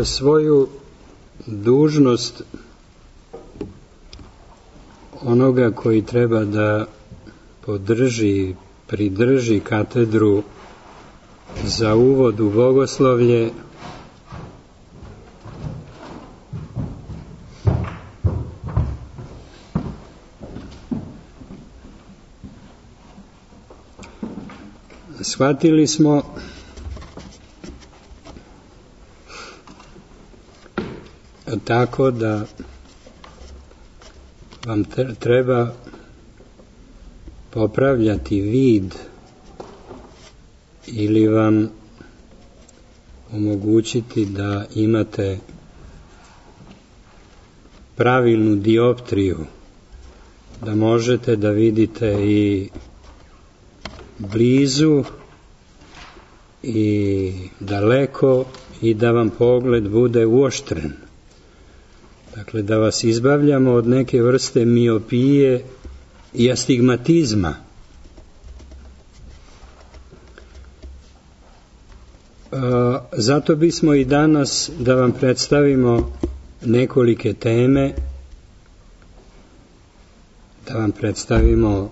svoju dužnost onoga koji treba da pridrži katedru za uvod u bogoslovlje, shvatili smo tako da vam treba popravljati vid ili vam omogućiti da imate pravilnu dioptriju, da možete da vidite i blizu i daleko i da vam pogled bude uoštren. Dakle, da vas izbavljamo od neke vrste miopije i astigmatizma. Zato bismo i danas da vam predstavimo nekolike teme, da vam predstavimo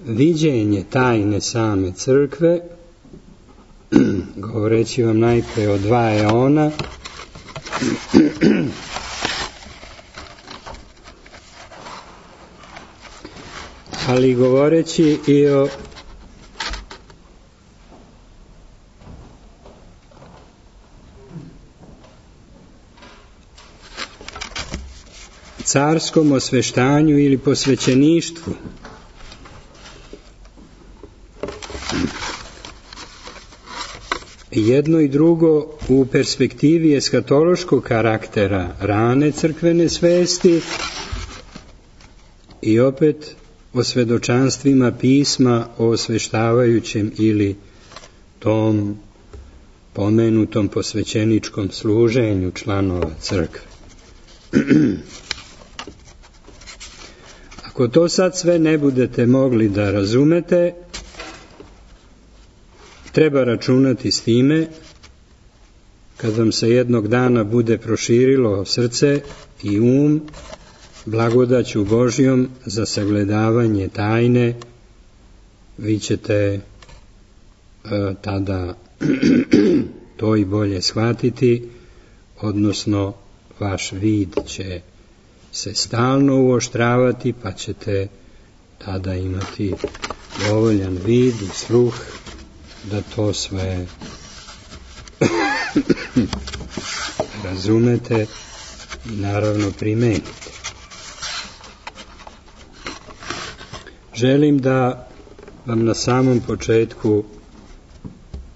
viđenje tajne same crkve, govoreći vam najpre o 2 eona, ali govoreći i o carskom osveštanju ili posvećeništvu. Jedno i drugo u perspektivi eskatološkog karaktera rane crkvene svesti i opet o svedočanstvima pisma o osveštavajućem ili tom pomenutom posvećeničkom služenju članova crkve. Ako to sad sve ne budete mogli da razumete, treba računati s time, kad vam se jednog dana bude proširilo srce i blagodaću Božjom za sagledavanje tajne, vi ćete tada to i bolje shvatiti, odnosno vaš vid će se stalno uoštravati, pa ćete tada imati dovoljan vid i sluh da to sve razumete i naravno primenite. Želim da vam na samom početku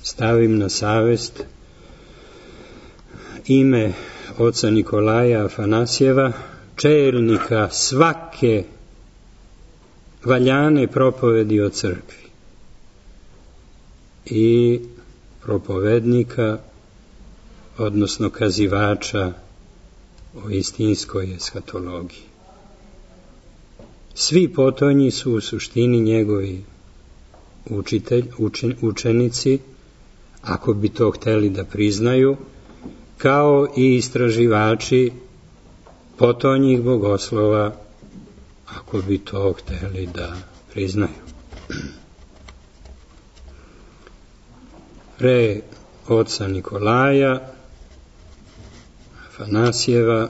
stavim na savest ime oca Nikolaja Afanasjeva, čelnika svake valjane propovedi o crkvi i propovednika, odnosno kazivača o istinskoj eskatologiji. Svi potonji su u suštini njegovi učenici, ako bi to hteli da priznaju, kao i istraživači potonjih bogoslova, ako bi to hteli da priznaju. Pre oca Nikolaja Afanasjeva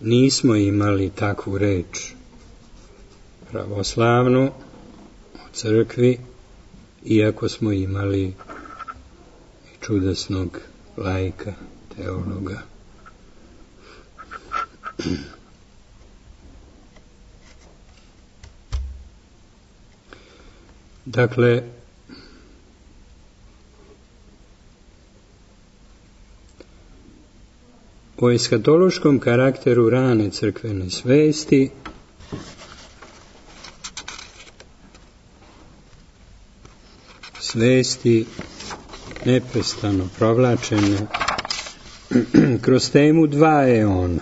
nismo imali takvu reč pravoslavnu o crkvi, iako smo imali i čudesnog laika, teologa. Dakle, o eskatološkom karakteru rane crkvene svesti neprestano provlačene kroz temu 2 eona.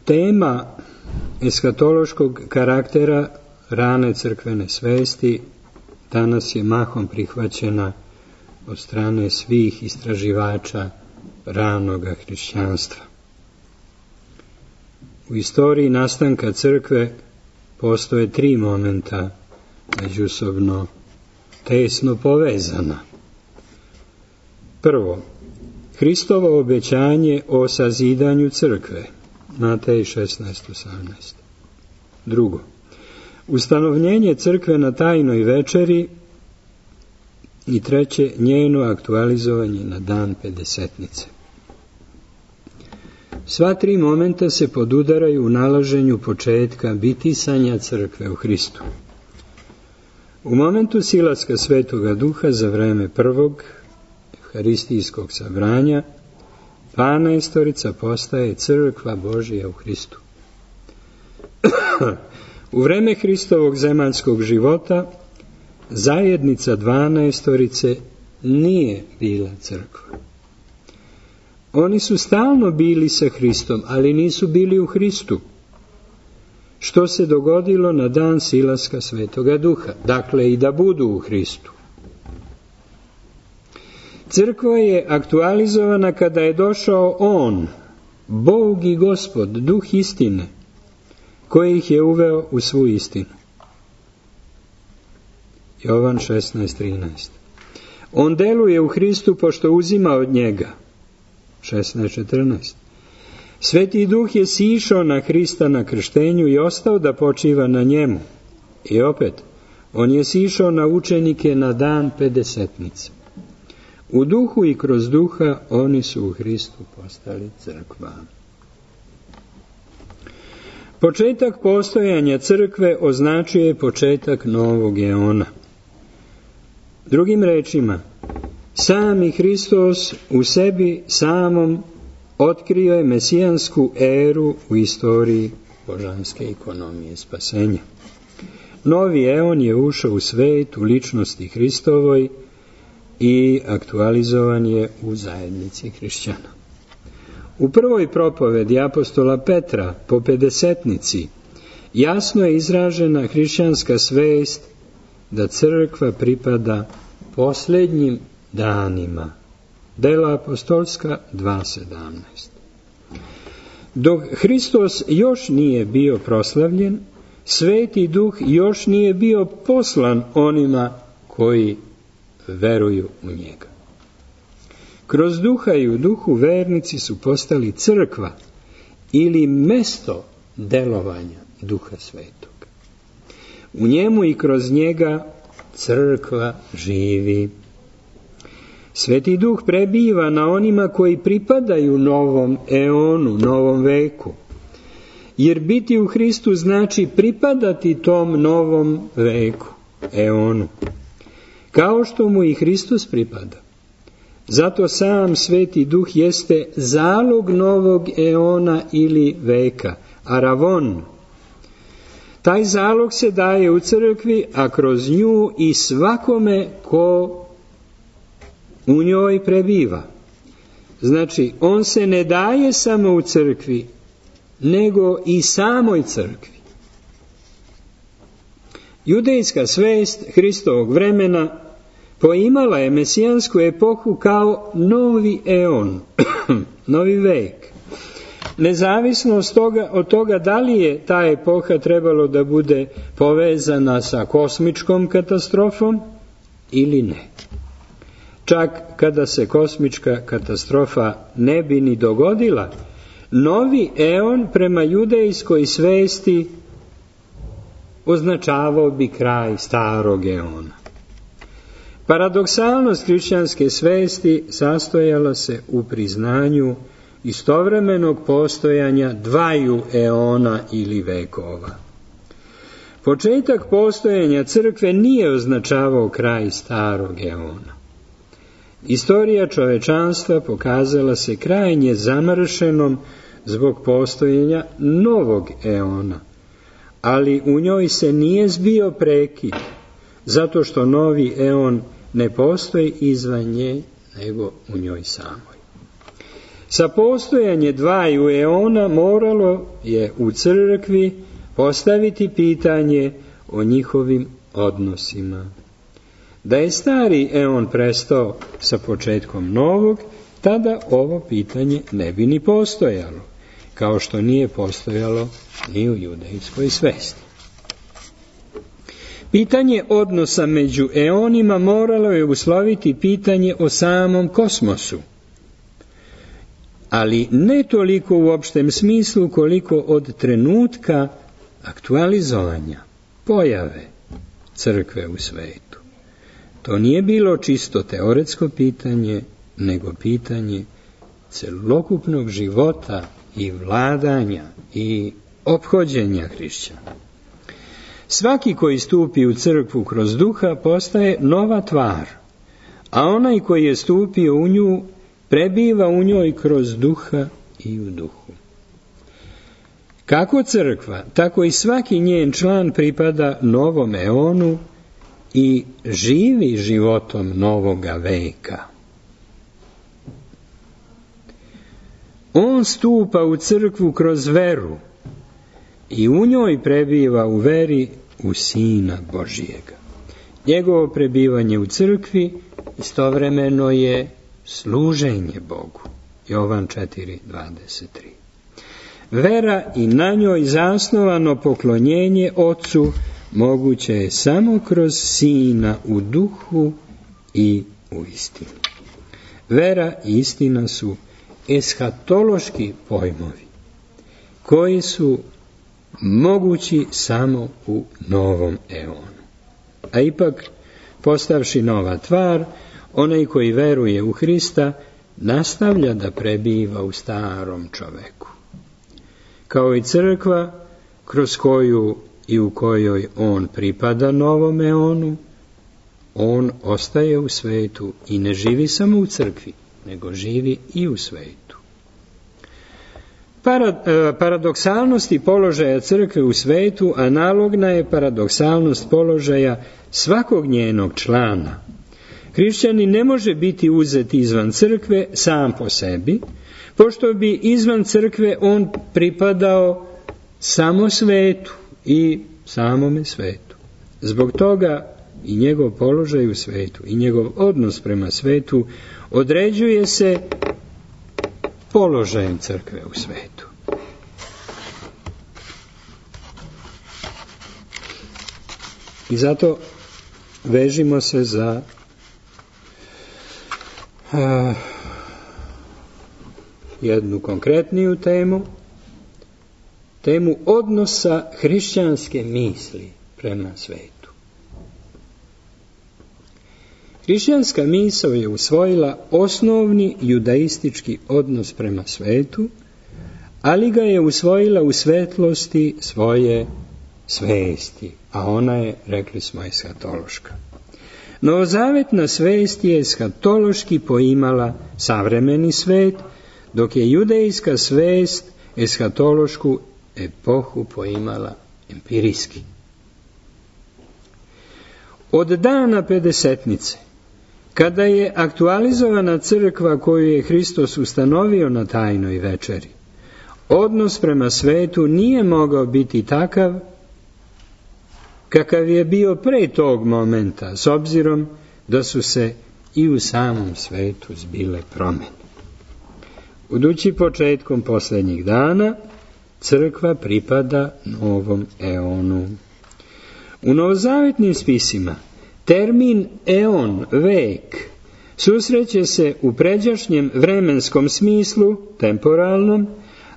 Tema eskatološkog karaktera rane crkvene svesti danas je mahom prihvaćena od strane svih istraživača ranoga hrišćanstva. U istoriji nastanka crkve postoje 3 momenta međusobno tesno povezana. Prvo, Hristovo obećanje o sazidanju crkve, Matej 16:18. Drugo, ustanovljenje crkve na tajnoj večeri. I treće, njeno aktualizovanje na dan Pedesetnice. Sva 3 momenta se podudaraju u nalaženju početka bitisanja crkve u Hristu. U momentu silaska Svetoga Duha za vreme prvog Euharistijskog sabranja, 12 postaje crkva Božija u Hristu. U vreme Hristovog zemaljskog života zajednica 12 nije bila crkva. Oni su stalno bili sa Hristom, ali nisu bili u Hristu. Što se dogodilo na dan silaska Svetoga Duha? Dakle, i da budu u Hristu. Crkva je aktualizovana kada je došao On, Bog i Gospod, Duh istine, koji ih je uveo u svu istinu. Jovan 16:13. On deluje u Hristu pošto uzima od njega. 16:14. Sveti Duh je sišao na Hrista na krštenju i ostao da počiva na njemu. I opet, on je sišao na učenike na dan Pedesetnice. U duhu i kroz duha oni su u Hristu postali crkva. Početak postojanja crkve označuje je početak novog eona. Drugim rečima, sami Hristos u sebi samom otkrio je mesijansku eru u istoriji božanske ekonomije spasenja. Novi eon je ušao u svet u ličnosti Hristovoj i aktualizovan je u zajednici hrišćana. U prvoj propovedi apostola Petra po Pedesetnici jasno je izražena hrišćanska svest da crkva pripada posljednjim danima. Dela apostolska 2:17. Dok Hristos još nije bio proslavljen, Sveti Duh još nije bio poslan onima koji veruju u njega. Kroz duha i u duhu vernici su postali crkva ili mesto delovanja Duha Svetog. U njemu i kroz njega crkva živi. Sveti Duh prebiva na onima koji pripadaju novom eonu, novom veku. Jer biti u Hristu znači pripadati tom novom veku, eonu. Kao što mu i Hristos pripada. Zato sam Sveti Duh jeste zalog novog eona ili veka, aravon. Taj zalog se daje u crkvi, a kroz nju i svakome ko u njoj prebiva. Znači, on se ne daje samo u crkvi, nego i samoj crkvi. Judejska svest Hristovog vremena poimala je mesijansku epohu kao novi eon, novi vek. Nezavisno od toga da li je ta epoha trebalo da bude povezana sa kosmičkom katastrofom ili ne. Čak kada se kosmička katastrofa ne bi ni dogodila, novi eon prema judejskoj svesti označavao bi kraj starog eona. Paradoksalnost hrišćanske svesti sastojala se u priznanju istovremenog postojanja dvaju eona ili vekova. Početak postojanja crkve nije označavao kraj starog eona. Istorija čovečanstva pokazala se krajnje zamršenom zbog postojanja novog eona, ali u njoj se nije zbio prekid, zato što novi eon ne postoji izvan nje, nego u njoj samoj. Sa postojanje dvaju eona moralo je u crkvi postaviti pitanje o njihovim odnosima. Da je stari eon prestao sa početkom novog, tada ovo pitanje ne bi ni postojalo, kao što nije postojalo ni u judejskoj svesti. Pitanje odnosa među eonima moralo je usloviti pitanje o samom kosmosu, ali ne toliko u opštem smislu koliko od trenutka aktualizovanja, pojave crkve u svetu. To nije bilo čisto teoretsko pitanje, nego pitanje celokupnog života i vladanja i ophođenja hrišćana. Svaki koji stupi u crkvu kroz duha postaje nova tvar, a onaj koji je stupio u nju prebiva u njoj kroz duha i u duhu. Kako crkva, tako i svaki njen član pripada novom eonu i živi životom novoga veka. On stupa u crkvu kroz veru i u njoj prebiva u veri u Sina Božijega. Njegovo prebivanje u crkvi istovremeno je služenje Bogu. Jovan 4:23. Vera i na njoj zasnovano poklonjenje Otcu moguće je samo kroz Sina u duhu i u istini. Vera i istina su eshatološki pojmovi koji su mogući samo u novom eonu. A ipak, postavši nova tvar, onaj koji veruje u Hrista nastavlja da prebiva u starom čoveku. Kao i crkva, kroz koju i u kojoj on pripada novom eonu, on ostaje u svetu i ne živi samo u crkvi, nego živi i u svetu. Paradoksalnosti položaja crkve u svetu analogna je paradoksalnost položaja svakog njenog člana. Hrišćanin ne može biti uzet izvan crkve sam po sebi, pošto bi izvan crkve on pripadao samo svetu i samome svetu. Zbog toga i njegov položaj u svetu i njegov odnos prema svetu određuje se položajem crkve u svetu. I zato vežimo se za jednu konkretniju temu odnosa hrišćanske misli prema svetu. Hrišćanska misao je usvojila osnovni judaistički odnos prema svetu, ali ga je usvojila u svetlosti svoje svesti, a ona je, rekli smo, eshatološka. Novozavetna svest je eshatološki poimala savremeni svet, dok je judejska svest eshatološku epohu poimala empirijski. Od dana Pedesetnice, kada je aktualizovana crkva koju je Hristos ustanovio na tajnoj večeri, odnos prema svetu nije mogao biti takav kakav je bio pre tog momenta, s obzirom da su se i u samom svetu zbile promjene. Budući početkom posljednjih dana, crkva pripada novom eonu. U novozavetnim spisima termin eon, vek, susreće se u pređašnjem vremenskom smislu, temporalnom,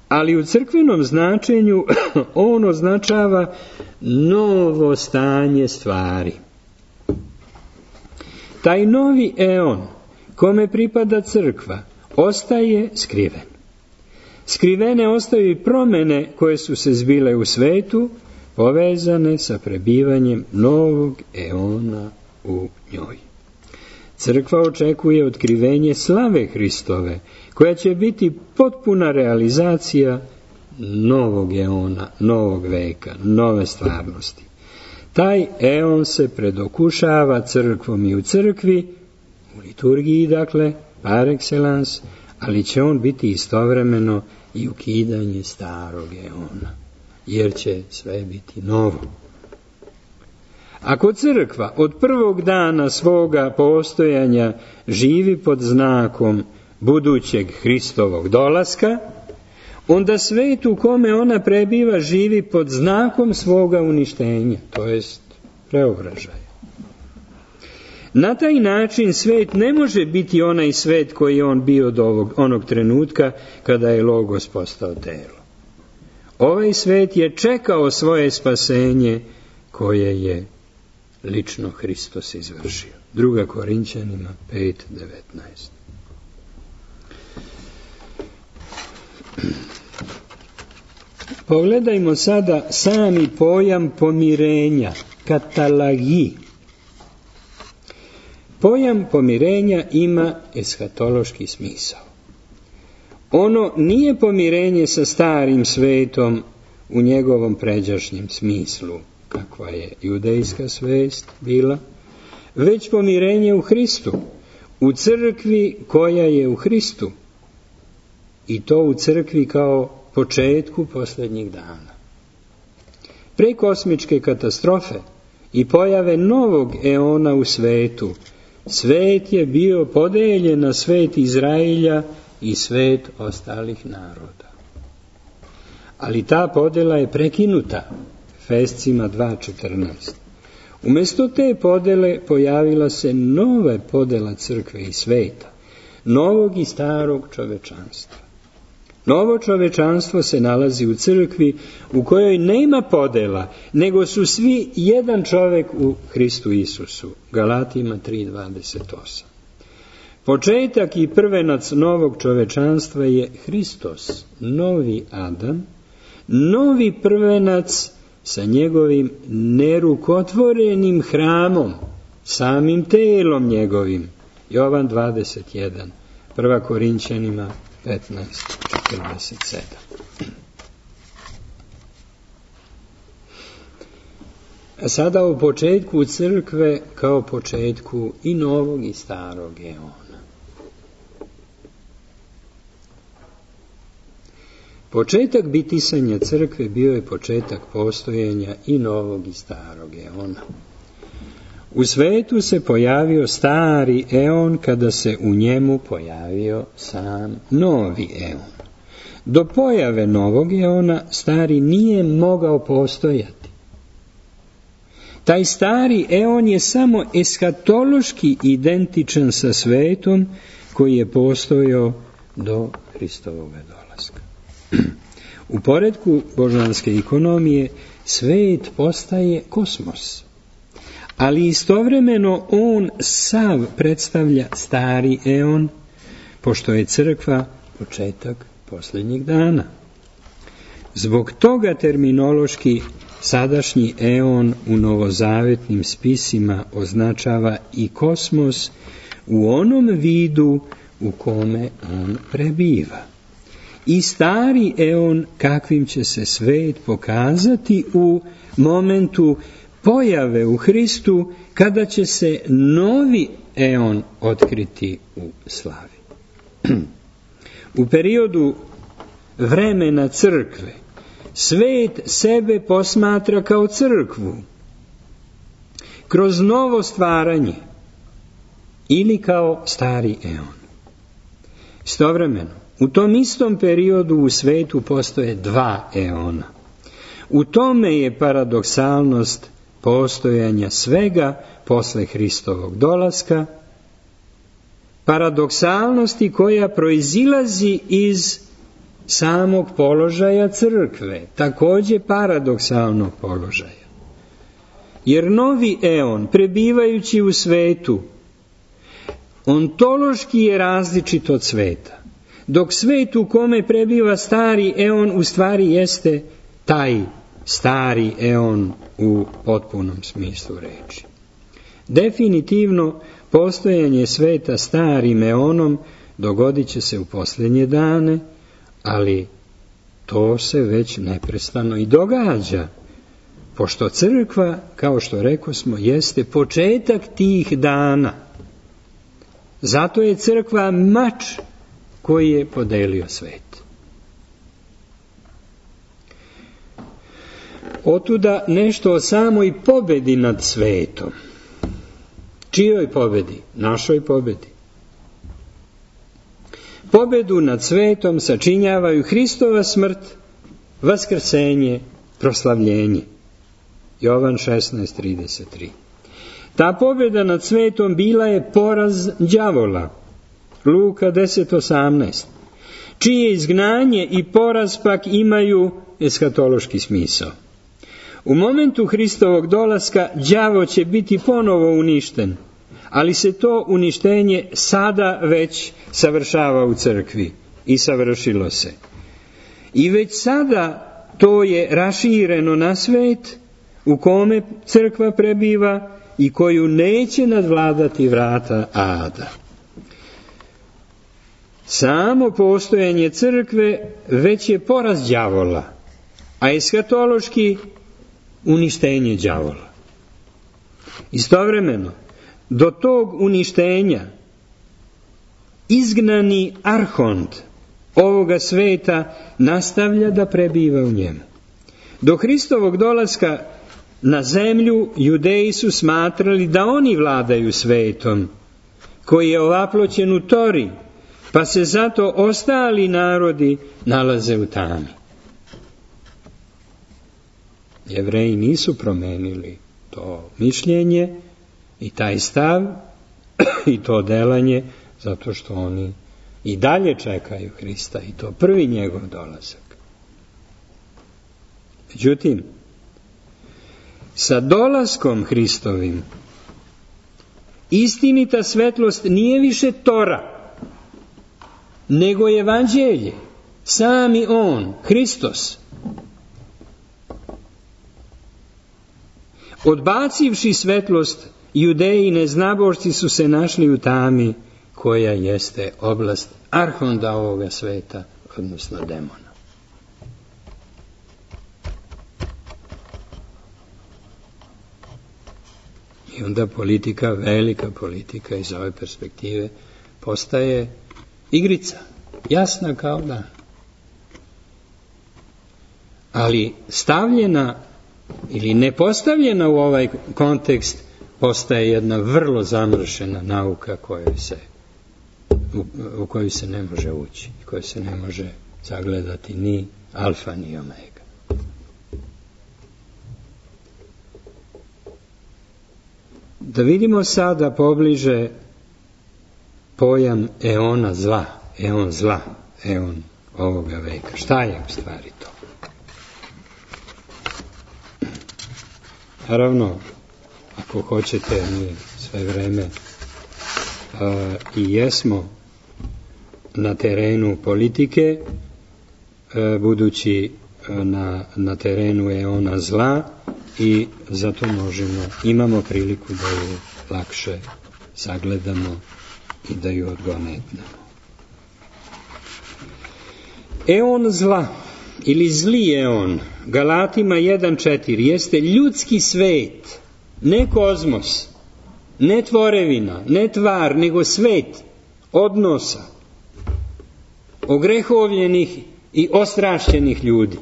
ali u crkvenom značenju on označava novo stanje stvari. Taj novi eon, kome pripada crkva, ostaje skriven. Skrivene ostaju i promjene koje su se zbile u svetu, povezane sa prebivanjem novog eona u njoj. Crkva očekuje otkrivenje slave Hristove, koja će biti potpuna realizacija novog eona, novog veka, nove stvarnosti. Taj eon se predokušava crkvom i u crkvi, u liturgiji dakle, par excellence, ali će on biti istovremeno i ukidanje starog eona, jer će sve biti novo. Ako crkva od prvog dana svoga postojanja živi pod znakom budućeg Hristovog dolaska, onda svet u kome ona prebiva živi pod znakom svoga uništenja, to jest preobražaja. Na taj način svet ne može biti onaj svet koji je on bio do onog trenutka kada je Logos postao telo. Ovaj svet je čekao svoje spasenje koje je lično Hristos izvršio. 2. Korinćanima 5:19. Pogledajmo sada sami pojam pomirenja, katalagi. Pojam pomirenja ima eshatološki smisao. Ono nije pomirenje sa starim svetom u njegovom pređašnjem smislu, kakva je judejska svest bila, već pomirenje u Hristu, u crkvi koja je u Hristu, i to u crkvi kao početku posljednjih dana. Pre kosmičke katastrofe i pojave novog eona u svetu, svet je bio podeljen na svet Izraelja i svet ostalih naroda. Ali ta podela je prekinuta Efescima 2:14. Umjesto te podele pojavila se nova podela crkve i sveta, novog i starog čovečanstva. Novo čovečanstvo se nalazi u crkvi u kojoj nema podela, nego su svi jedan čovjek u Hristu Isusu. Galatima 3:28. Početak i prvenac novog čovečanstva je Hristos, novi Adam, novi prvenac sa njegovim nerukotvorenim hramom, samim telom njegovim. Jovan 21, 1. Korinćanima 15:47. A sada o početku crkve kao početku i novog i starog eona. Početak bitisanja crkve bio je početak postojanja i novog i starog eona. U svetu se pojavio stari eon kada se u njemu pojavio sam novi eon. Do pojave novog eona stari nije mogao postojati. Taj stari eon je samo eshatološki identičan sa svetom koji je postojao do Hristovog dolaska. U poretku božanske ekonomije svet postaje kosmos, ali istovremeno on sav predstavlja stari eon, pošto je crkva početak posljednjih dana. Zbog toga terminološki sadašnji eon u novozavetnim spisima označava i kosmos u onom vidu u kome on prebiva. I stari eon kakvim će se svet pokazati u momentu pojave u Hristu, kada će se novi eon otkriti u slavi. U periodu vremena crkve svet sebe posmatra kao crkvu, kroz novo stvaranje ili kao stari eon. Istovremeno, u tom istom periodu u svetu postoje dva eona. U tome je paradoksalnost postojanja svega posle Hristovog dolaska, paradoksalnosti koja proizilazi iz samog položaja crkve, također paradoksalnog položaja. Jer novi eon, prebivajući u svetu, ontološki je različit od sveta, dok svet u kome prebiva stari eon u stvari jeste taj stari eon u potpunom smislu reči. Definitivno, postojanje sveta starim eonom dogodit će se u posljednje dane, ali to se već neprestano i događa, pošto crkva, kao što rekosmo, jeste početak tih dana. Zato je crkva mač koji je podelio svet. Otuda nešto o samoj pobedi nad svetom. Čijoj pobedi? Našoj pobedi. Pobedu nad svetom sačinjavaju Hristova smrt, vaskrsenje, proslavljenje. Jovan 16:33. Ta pobjeda nad svetom bila je poraz đavola. Luka 10:18. Čije izgnanje i poraz pak imaju eskatološki smisao. U momentu Hristovog dolaska đavo će biti ponovo uništen, ali se to uništenje sada već savršava u crkvi i savršilo se. I već sada to je rašireno na svet u kome crkva prebiva i koju neće nadvladati vrata ada. Samo postojanje crkve već je poraz đavola, a eskatološki uništenje đavola. Istovremeno, do tog uništenja izgnani arhont ovoga sveta nastavlja da prebiva u njemu. Do Hristovog dolaska na zemlju Judeji su smatrali da oni vladaju svetom, koji je ovaploćen u Tori, pa se zato ostali narodi nalaze u tami. Jevreji nisu promenili to mišljenje i taj stav i to delanje, zato što oni i dalje čekaju Hrista i to prvi njegov dolazak. Međutim, sa dolaskom Hristovim istinita svetlost nije više Tora, nego je evanđelje, sami on, Hristos. Odbacivši svetlost, Judeji neznabošci su se našli u tami koja jeste oblast arhonda ovoga sveta, odnosno demona. I onda politika, velika politika iz ove perspektive postaje igrica, jasna kao dan. Ali stavljena ili ne postavljena u ovaj kontekst postaje jedna vrlo zamršena nauka u koju se ne može ući, koju se ne može sagledati ni alfa ni omega. Da vidimo sada pobliže pojam eona zla, eon ovoga veka. Šta je u stvari to? Naravno, ako hoćete, mi sve vreme i jesmo na terenu politike, budući na terenu eona zla, i zato imamo priliku da ju lakše sagledamo i da ju odgonetnemo. Eon zla ili zli eon, Galatima 1:4, jeste ljudski svet, ne kozmos, ne tvorevina, ne tvar, nego svet odnosa, ogrehovljenih i ostrašćenih ljudi.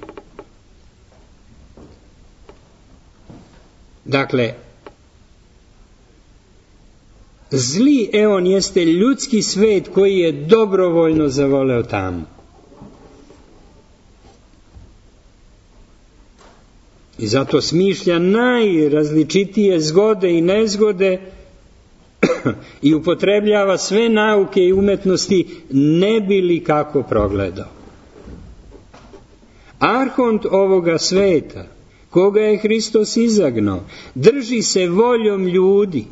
Dakle, zli eon jeste ljudski svet koji je dobrovoljno zavoleo tamu. I zato smišlja najrazličitije zgode i nezgode i upotrebljava sve nauke i umetnosti ne bi li kako progledao. Arhont ovoga sveta, koga je Hristos izagnao, drži se voljom ljudi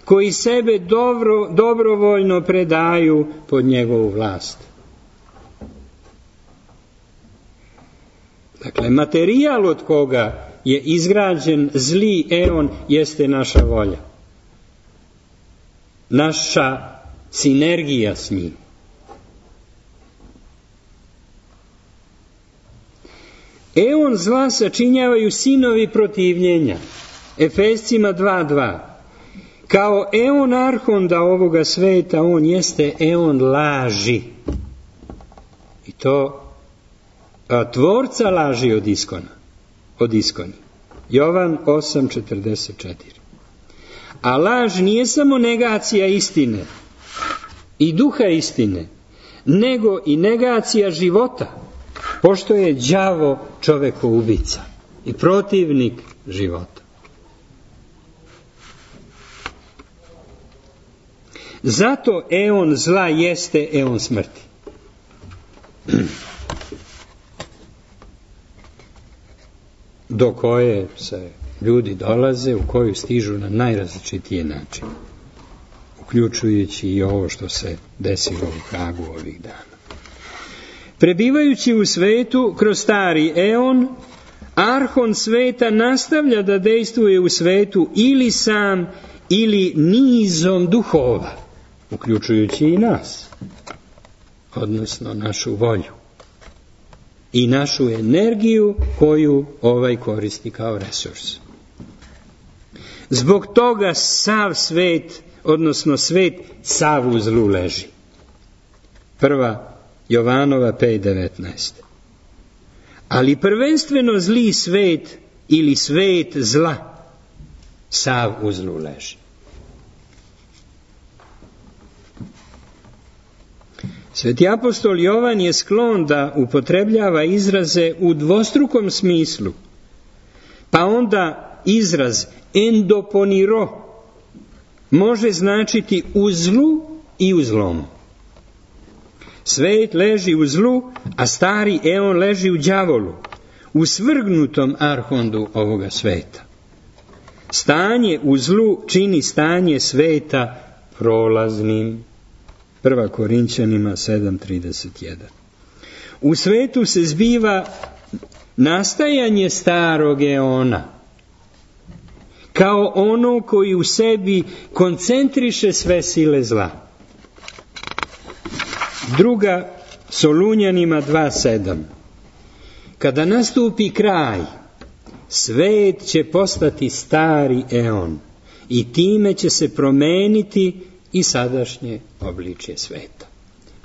koji sebe dobrovoljno predaju pod njegovu vlast. Dakle, materijal od koga je izgrađen zli eon jeste naša volja. Naša sinergija s njim. Eon zla sačinjavaju sinovi protivljenja. Efescima 2:2. Kao eon arhonda ovoga sveta, on jeste eon laži. I to tvorca laži od iskoni. Jovan 8:44. A laž nije samo negacija istine i duha istine, nego i negacija života, pošto je đavo čovekoubica i protivnik života. Zato eon zla jeste eon smrti. Do koje se ljudi dolaze, u koju stižu na najrazličitije načine, uključujući i ovo što se desilo u Hagu ovih dana. Prebivajući u svetu kroz stari eon, arhon sveta nastavlja da dejstvuje u svetu ili sam ili nizom duhova, uključujući i nas, odnosno našu volju i našu energiju koju ovaj koristi kao resurs. Zbog toga sav svet, odnosno svet sav u zlu leži. 1. Jovanova 5:19. Ali prvenstveno zli svet ili svet zla sav u zlu leži. Sveti apostol Jovan je sklon da upotrebljava izraze u dvostrukom smislu, pa onda izraz endoponiro može značiti u zlu i u zlomu. Svet leži u zlu, a stari eon leži u đavolu, u svrgnutom arhondu ovoga sveta. Stanje u zlu čini stanje sveta prolaznim. 1. Korinćanima 7:31. U svetu se zbiva nastajanje starog eona, kao ono koji u sebi koncentriše sve sile zla. 2. Solunjanima 2:7. Kada nastupi kraj, svet će postati stari eon i time će se promeniti i sadašnje obličje sveta.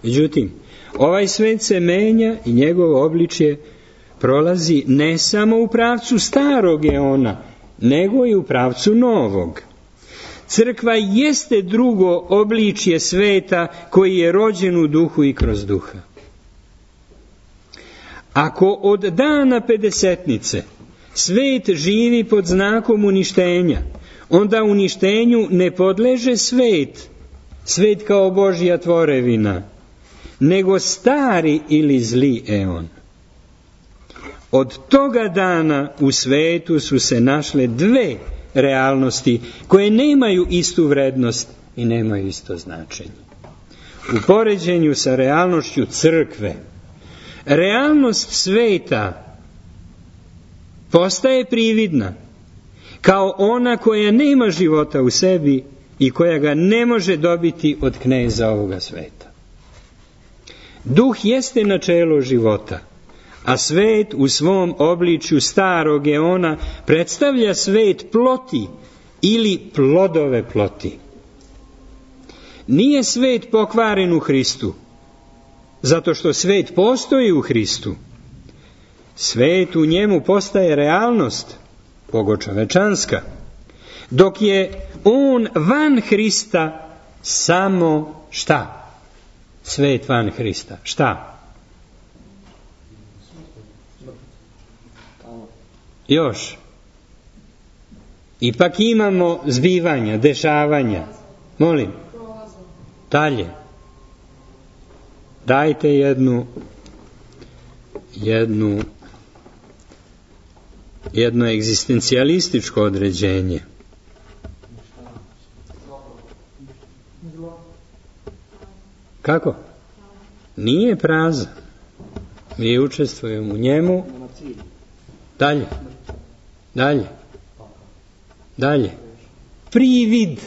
Međutim, ovaj svet se menja i njegovo obličje prolazi ne samo u pravcu starog eona, nego i u pravcu novog. Crkva jeste drugo obličje sveta koji je rođen u duhu i kroz duha. Ako od dana Pedesetnice svet živi pod znakom uništenja, onda uništenju ne podleže svet kao Božja tvorevina, nego stari ili zli eon. Od toga dana u svetu su se našle dve realnosti koje nemaju istu vrednost i nemaju isto značenje. U poređenju sa realnošću crkve, realnost sveta postaje prividna, kao ona koja nema života u sebi i koja ga ne može dobiti od kneza ovoga sveta. Duh jeste načelo života, a svet u svom obličju starog eona predstavlja svet ploti ili plodove ploti. Nije svet pokvaren u Hristu, zato što svet postoji u Hristu. Svet u njemu postaje realnost, bogočovečanska, dok je on van Hrista samo šta? Svet van Hrista. Šta? Još. Ipak imamo zbivanja, dešavanja. Molim. Dalje. Dajte jedno egzistencijalističko određenje. Kako? Nije prazan. Mi učestvujemo u njemu. Dalje. Privid,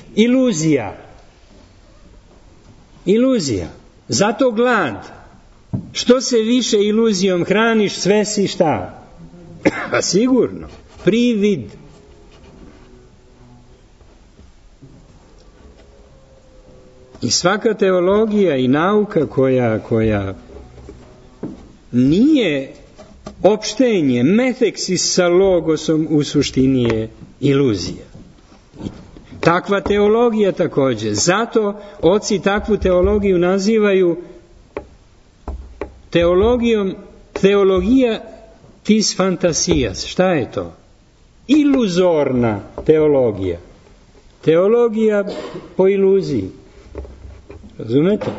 iluzija. Zato glad. Što se više iluzijom hraniš, sve si šta? A sigurno. Privid. I svaka teologija i nauka koja nije opštenje, meteksis sa logosom u suštini je iluzija. Takva teologija također. Zato oci takvu teologiju nazivaju teologija tis fantasijas. Šta je to? Iluzorna teologija. Teologija po iluziji. Razumete?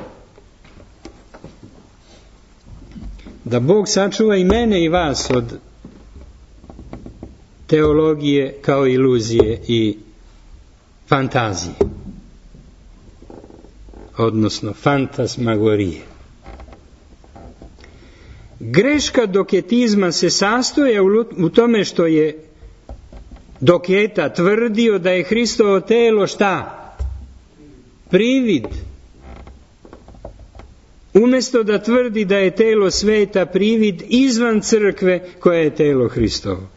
Da Bog sačuva i mene i vas od teologije kao iluzije i fantazije. Odnosno fantasmagorije. Greška doketizma se sastoje u tome što je Doketa tvrdio da je Hristovo telo šta? Privid. Umjesto da tvrdi da je telo sveta privid izvan crkve koja je telo Hristovo.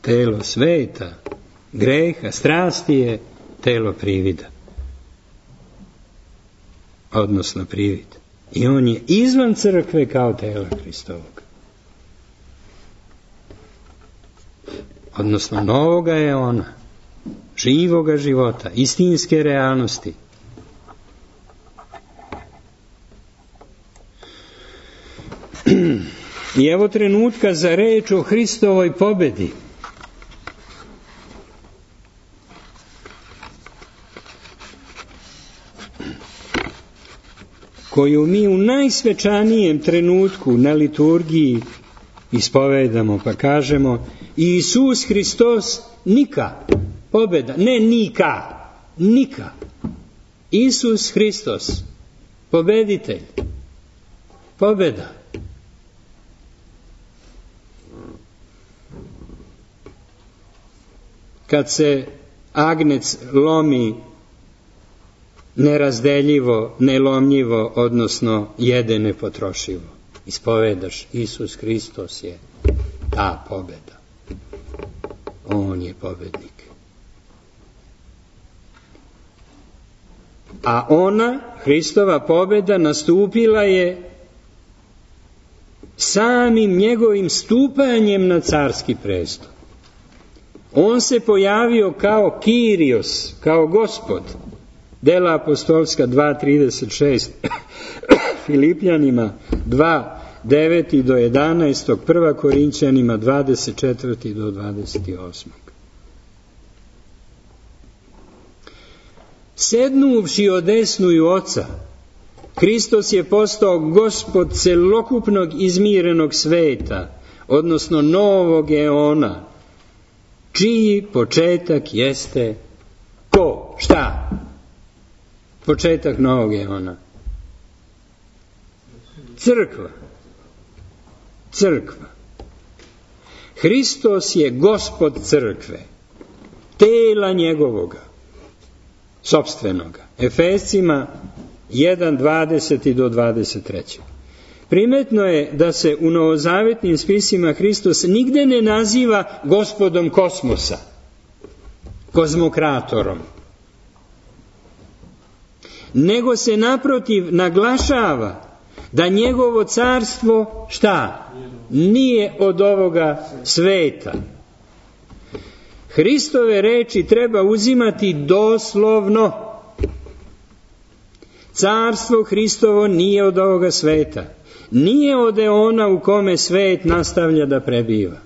Telo sveta, greha, strasti je telo privida. Odnosno privid. I on je izvan crkve kao telo Hristovog. Odnosno novoga je ona, živoga života, istinske realnosti. I evo trenutka za reč o Hristovoj pobedi. Koju mi u najsvečanijem trenutku na liturgiji ispovedamo, pa kažemo Isus Hristos nika, pobeda, ne nika. Isus Hristos, pobeditelj, pobeda. Kad se agnec lomi nerazdeljivo, nelomljivo, odnosno jede nepotrošivo. Ispovedaš, Isus Hristos je ta pobeda. On je pobednik. A ona, Hristova pobeda, nastupila je samim njegovim stupanjem na carski presto. On se pojavio kao Kyrios, kao Gospod. Dela apostolska 2.36, Filipljanima 2.9 do 11, 1. Korinćanima 24 do 28. Sednuvši odesnuju Oca, Hristos je postao Gospod celokupnog izmirenog sveta, odnosno novog eona, čiji početak jeste ko? Šta? Početak novog eona. Crkva. Hristos je Gospod crkve, tela njegovoga, sopstvenoga. Efescima 1.20 do 23. Primetno je da se u novozavetnim spisima Hristos nigde ne naziva Gospodom kosmosa, kozmokratorom, nego se naprotiv naglašava da njegovo carstvo, šta? Nije od ovoga sveta. Hristove reči treba uzimati doslovno. Carstvo Hristovo nije od ovoga sveta. Nije od eona u kome svet nastavlja da prebiva.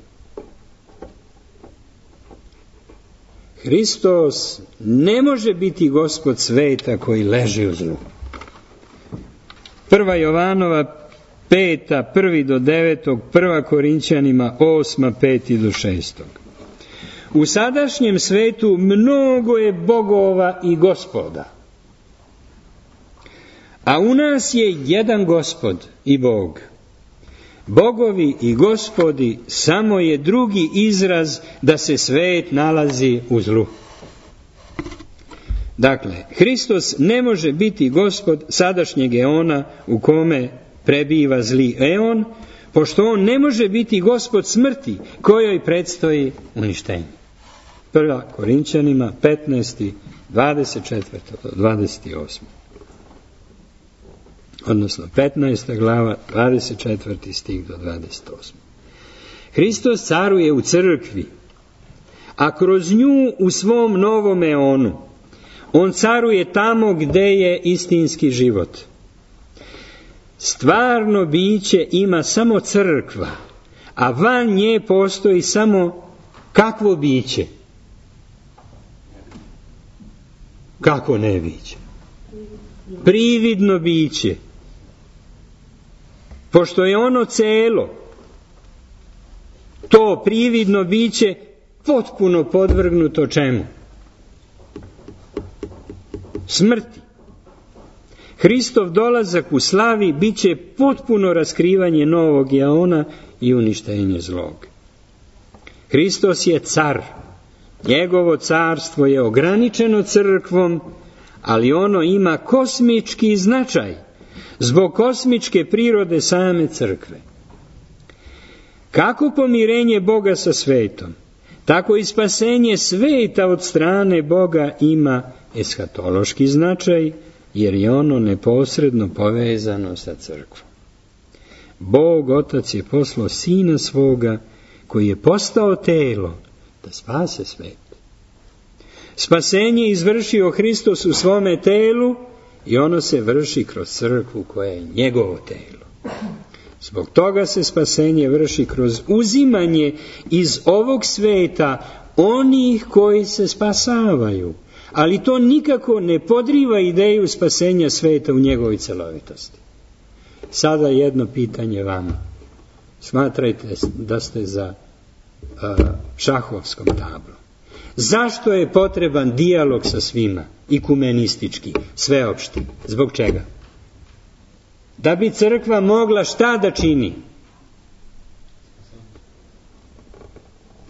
Hristos ne može biti Gospod sveta koji leži u zlu. 1. Jovanova 5. 1. do 9. 1. Korinćanima 8. 5. do 6. U sadašnjem svetu mnogo je bogova i gospoda, a u nas je jedan Gospod i Bog. Bogovi i gospodi samo je drugi izraz da se svet nalazi u zlu. Dakle, Hristos ne može biti Gospod sadašnjeg eona u kome prebiva zli eon, pošto on ne može biti Gospod smrti kojoj predstoji uništenje. Prva Korinćanima 15. 24. do 28. Odnosno 15. glava 24. stih do 28. Hristos caruje u crkvi, a kroz nju u svom novom eonu. On caruje tamo gde je istinski život. Stvarno biće ima samo crkva, a van nje postoji samo kakvo biće? Kako ne biće? Prividno biće. Pošto je ono celo, to prividno biće potpuno podvrgnuto čemu? Smrti. Hristov dolazak u slavi bit će potpuno raskrivanje novog eona i uništenje zlog. Hristos je car. Njegovo carstvo je ograničeno crkvom, ali ono ima kosmički značaj zbog kosmičke prirode same crkve. Kako pomirenje Boga sa svetom, tako i spasenje sveta od strane Boga ima eshatološki značaj, jer je ono neposredno povezano sa crkvom. Bog Otac je poslao Sina svoga, koji je postao telo, da spase svet. Spasenje izvršio Hristos u svome telu i ono se vrši kroz crkvu koja je njegovo telo. Zbog toga se spasenje vrši kroz uzimanje iz ovog sveta onih koji se spasavaju. Ali to nikako ne podriva ideju spasenja sveta u njegovoj celovitosti. Sada jedno pitanje vama. Smatrajte da ste za šahovskom tablom. Zašto je potreban dijalog sa svima, ikumenistički, sveopšti? Zbog čega? Da bi crkva mogla šta da čini?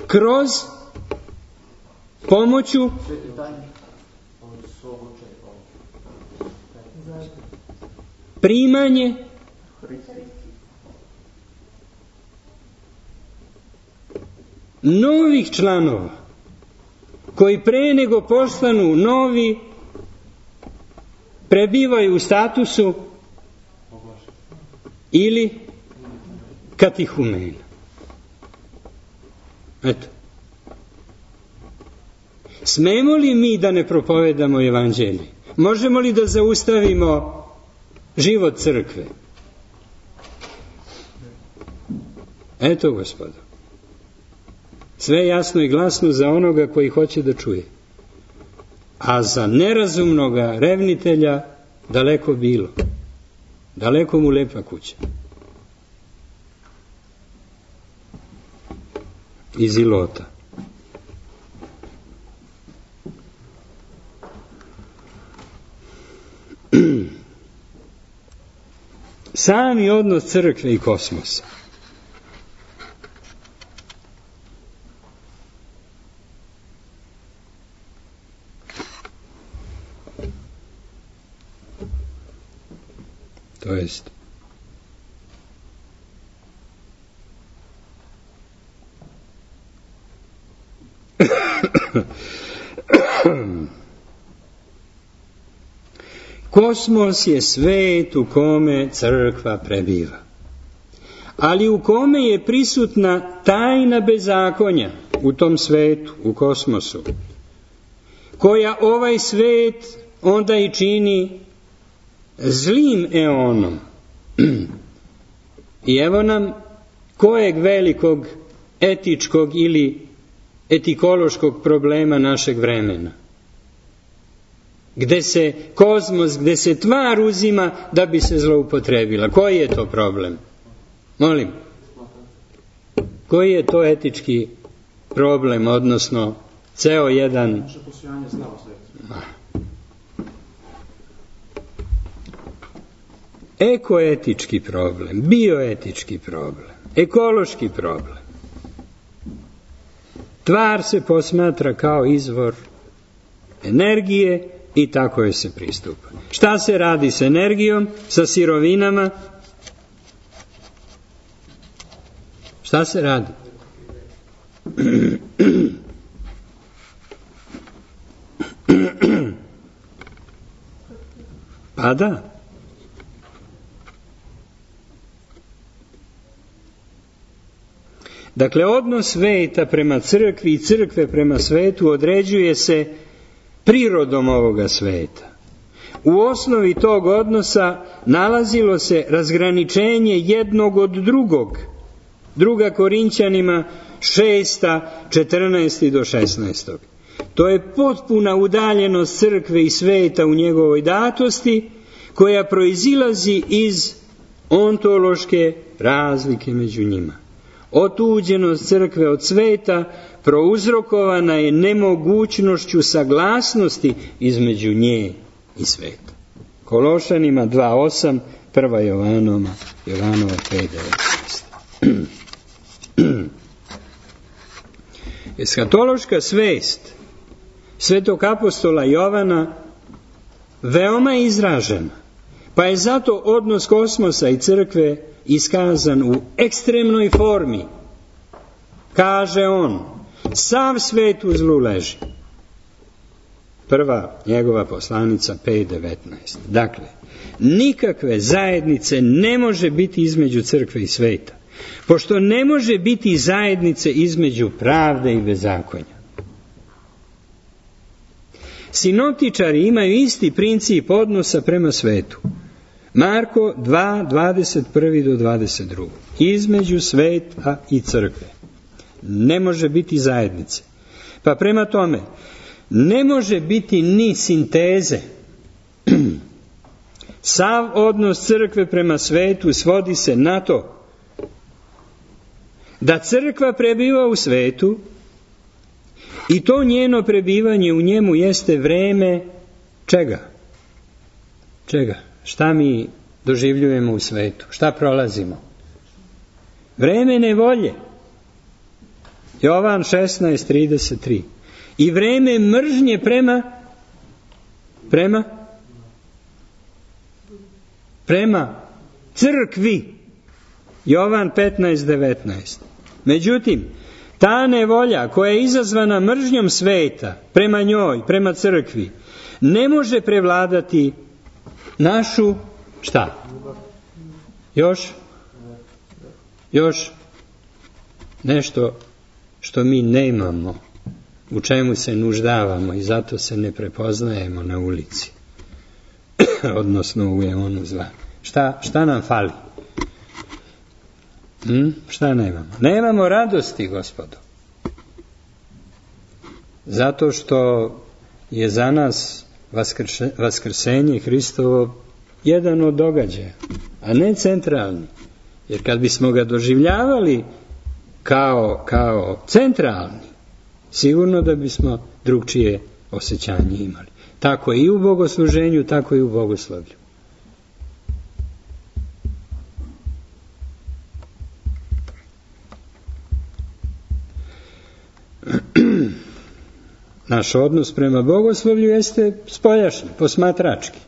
Kroz pomoću primanje novih članova koji pre nego postanu novi prebivaju u statusu ili katihumena. Eto. Smemo li mi da ne propovedamo evanđelje? Možemo li da zaustavimo život crkve? Eto, gospodo. Sve jasno i glasno za onoga koji hoće da čuje. A za nerazumnoga revnitelja daleko bilo. Daleko mu lepa kuća. Iz Ilota. Sami odnos crkve i kosmosa. To jest kosmos je svet u kome crkva prebiva, ali u kome je prisutna tajna bezakonja u tom svetu, u kosmosu, koja ovaj svet onda i čini zlim eonom. I evo nam kojeg velikog etičkog ili etikološkog problema našeg vremena. Gde se kozmos, gde se tvar uzima da bi se zloupotrebila. Koji je to problem? Molim. Koji je to etički problem, odnosno ceo jedan... Ekoetički problem, bioetički problem, ekološki problem. Tvar se posmatra kao izvor energije i tako je se pristupa. Šta se radi s energijom, sa sirovinama? Šta se radi? Pa da. Dakle, odnos sveta prema crkvi i crkve prema svetu određuje se prirodom ovoga sveta. U osnovi tog odnosa nalazilo se razgraničenje jednog od drugog. 2. Korinćanima 6. 14. do 16. To je potpuna udaljenost crkve i sveta u njegovoj datosti, koja proizilazi iz ontološke razlike među njima. Otuđenost crkve od sveta prouzrokovana je nemogućnošću saglasnosti između nje i sveta. Kološanima 2.8, 1. Jovanova 5.19. Eshatološka svest svetog apostola Jovana veoma je izražena, pa je zato odnos kosmosa i crkve iskazan u ekstremnoj formi. Kaže on, sav svet u zlu leži. Prva njegova poslanica 5.19. Dakle, nikakve zajednice ne može biti između crkve i sveta, pošto ne može biti zajednice između pravde i bezakonja. Sinoptičari imaju isti princip odnosa prema svetu. Marko 2.21 do 22. Između sveta i crkve ne može biti zajednice. Pa prema tome, ne može biti ni sinteze. Sav odnos crkve prema svetu svodi se na to da crkva prebiva u svetu i to njeno prebivanje u njemu jeste vreme čega? Čega? Šta mi doživljujemo u svetu? Šta prolazimo? Vreme nevolje. Jovan 16.33. I vreme mržnje prema crkvi. Jovan 15.19. Međutim, ta nevolja koja je izazvana mržnjom sveta prema njoj, prema crkvi, ne može prevladati našu, šta? Još nešto što mi nemamo, u čemu se nuždavamo i zato se ne prepoznajemo na ulici, odnosno u eonu zla. Šta nam fali? Šta nemamo? Nemamo radosti, gospodo. Zato što je za nas vaskrsenje Hristovo jedan od događaja, a ne centralni. Jer kad bismo ga doživljavali kao centralni, sigurno da bismo drugčije osjećanje imali. Tako i u bogosluženju, tako i u bogoslovlju. Naš odnos prema bogoslovlju jeste spoljašnji, posmatrački.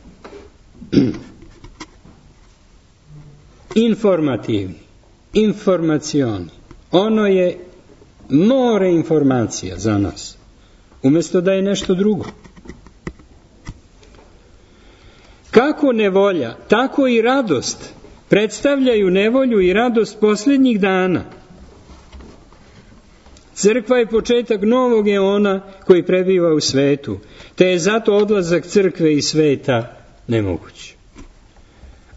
Informativni, informacioni. Ono je more informacija za nas, umjesto da je nešto drugo. Kako nevolja, tako i radost predstavljaju nevolju i radost posljednjih dana. Crkva je početak novog eona koji prebiva u svetu, te je zato odlazak crkve i sveta nemoguć.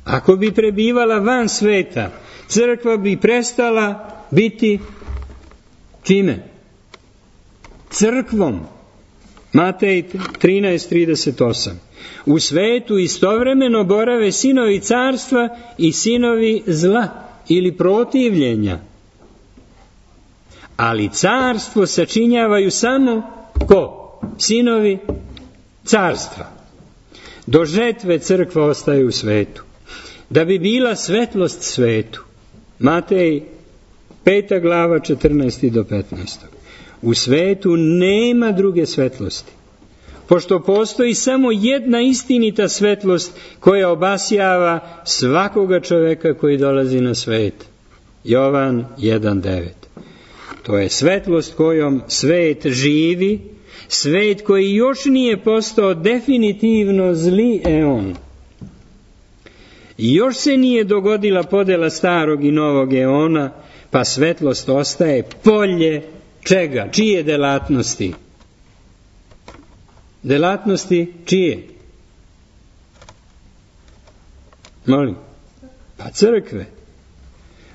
Ako bi prebivala van sveta, crkva bi prestala biti čime? Crkvom. Matej 13.38. U svetu istovremeno borave sinovi carstva i sinovi zla ili protivljenja. Ali carstvo sačinjavaju samo ko? Sinovi carstva. Do žetve crkva ostaje u svetu. Da bi bila svetlost svetu. Matej 5. glava 14. do 15. U svetu nema druge svetlosti. Pošto postoji samo jedna istinita svetlost koja obasjava svakoga čoveka koji dolazi na svet. Jovan 1.9. To je svetlost kojom svet živi, Svet koji još nije postao definitivno zli eon. Još se nije dogodila podela starog i novog eona, pa svetlost ostaje polje čega? Čije delatnosti? Delatnosti čije? Molim? Pa crkve.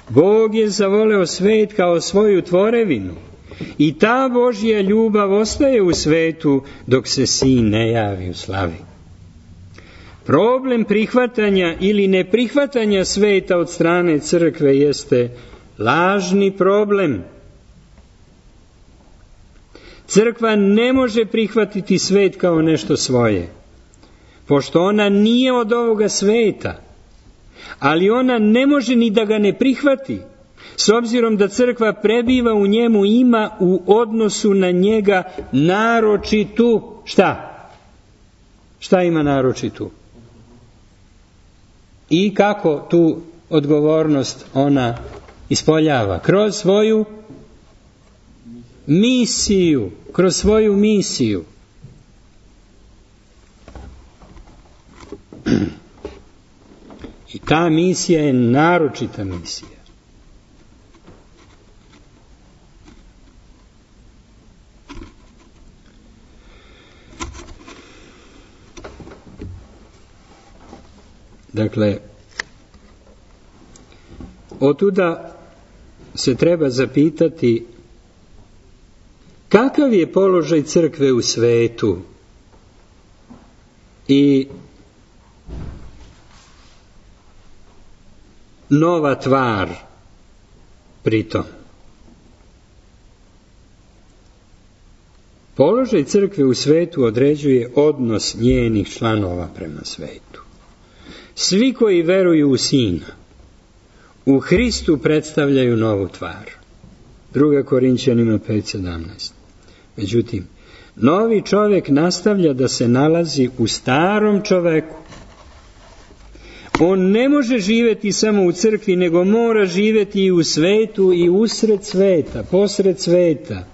Bog je zavoleo svet kao svoju tvorevinu i ta Božja ljubav ostaje u svetu dok se Sin ne javi u slavi. Problem prihvatanja ili neprihvatanja sveta od strane crkve jeste lažni problem. Crkva ne može prihvatiti svet kao nešto svoje, pošto ona nije od ovoga sveta, ali ona ne može ni da ga ne prihvati, s obzirom da crkva prebiva u njemu, ima u odnosu na njega naročitu, šta? Šta ima naročitu? I kako tu odgovornost ona ispoljava? Kroz svoju misiju. Kroz svoju misiju. I ta misija je naročita misija. Dakle, otuda se treba zapitati kakav je položaj crkve u svetu i nova tvar pritom. Položaj crkve u svetu određuje odnos njenih članova prema svetu. Svi koji veruju u Sina, u Hristu predstavljaju novu tvar. 2. Korinćanima 5:17. Međutim, novi čovjek nastavlja da se nalazi u starom čoveku. On ne može živjeti samo u crkvi, nego mora živjeti i u svetu i usred sveta, posred sveta.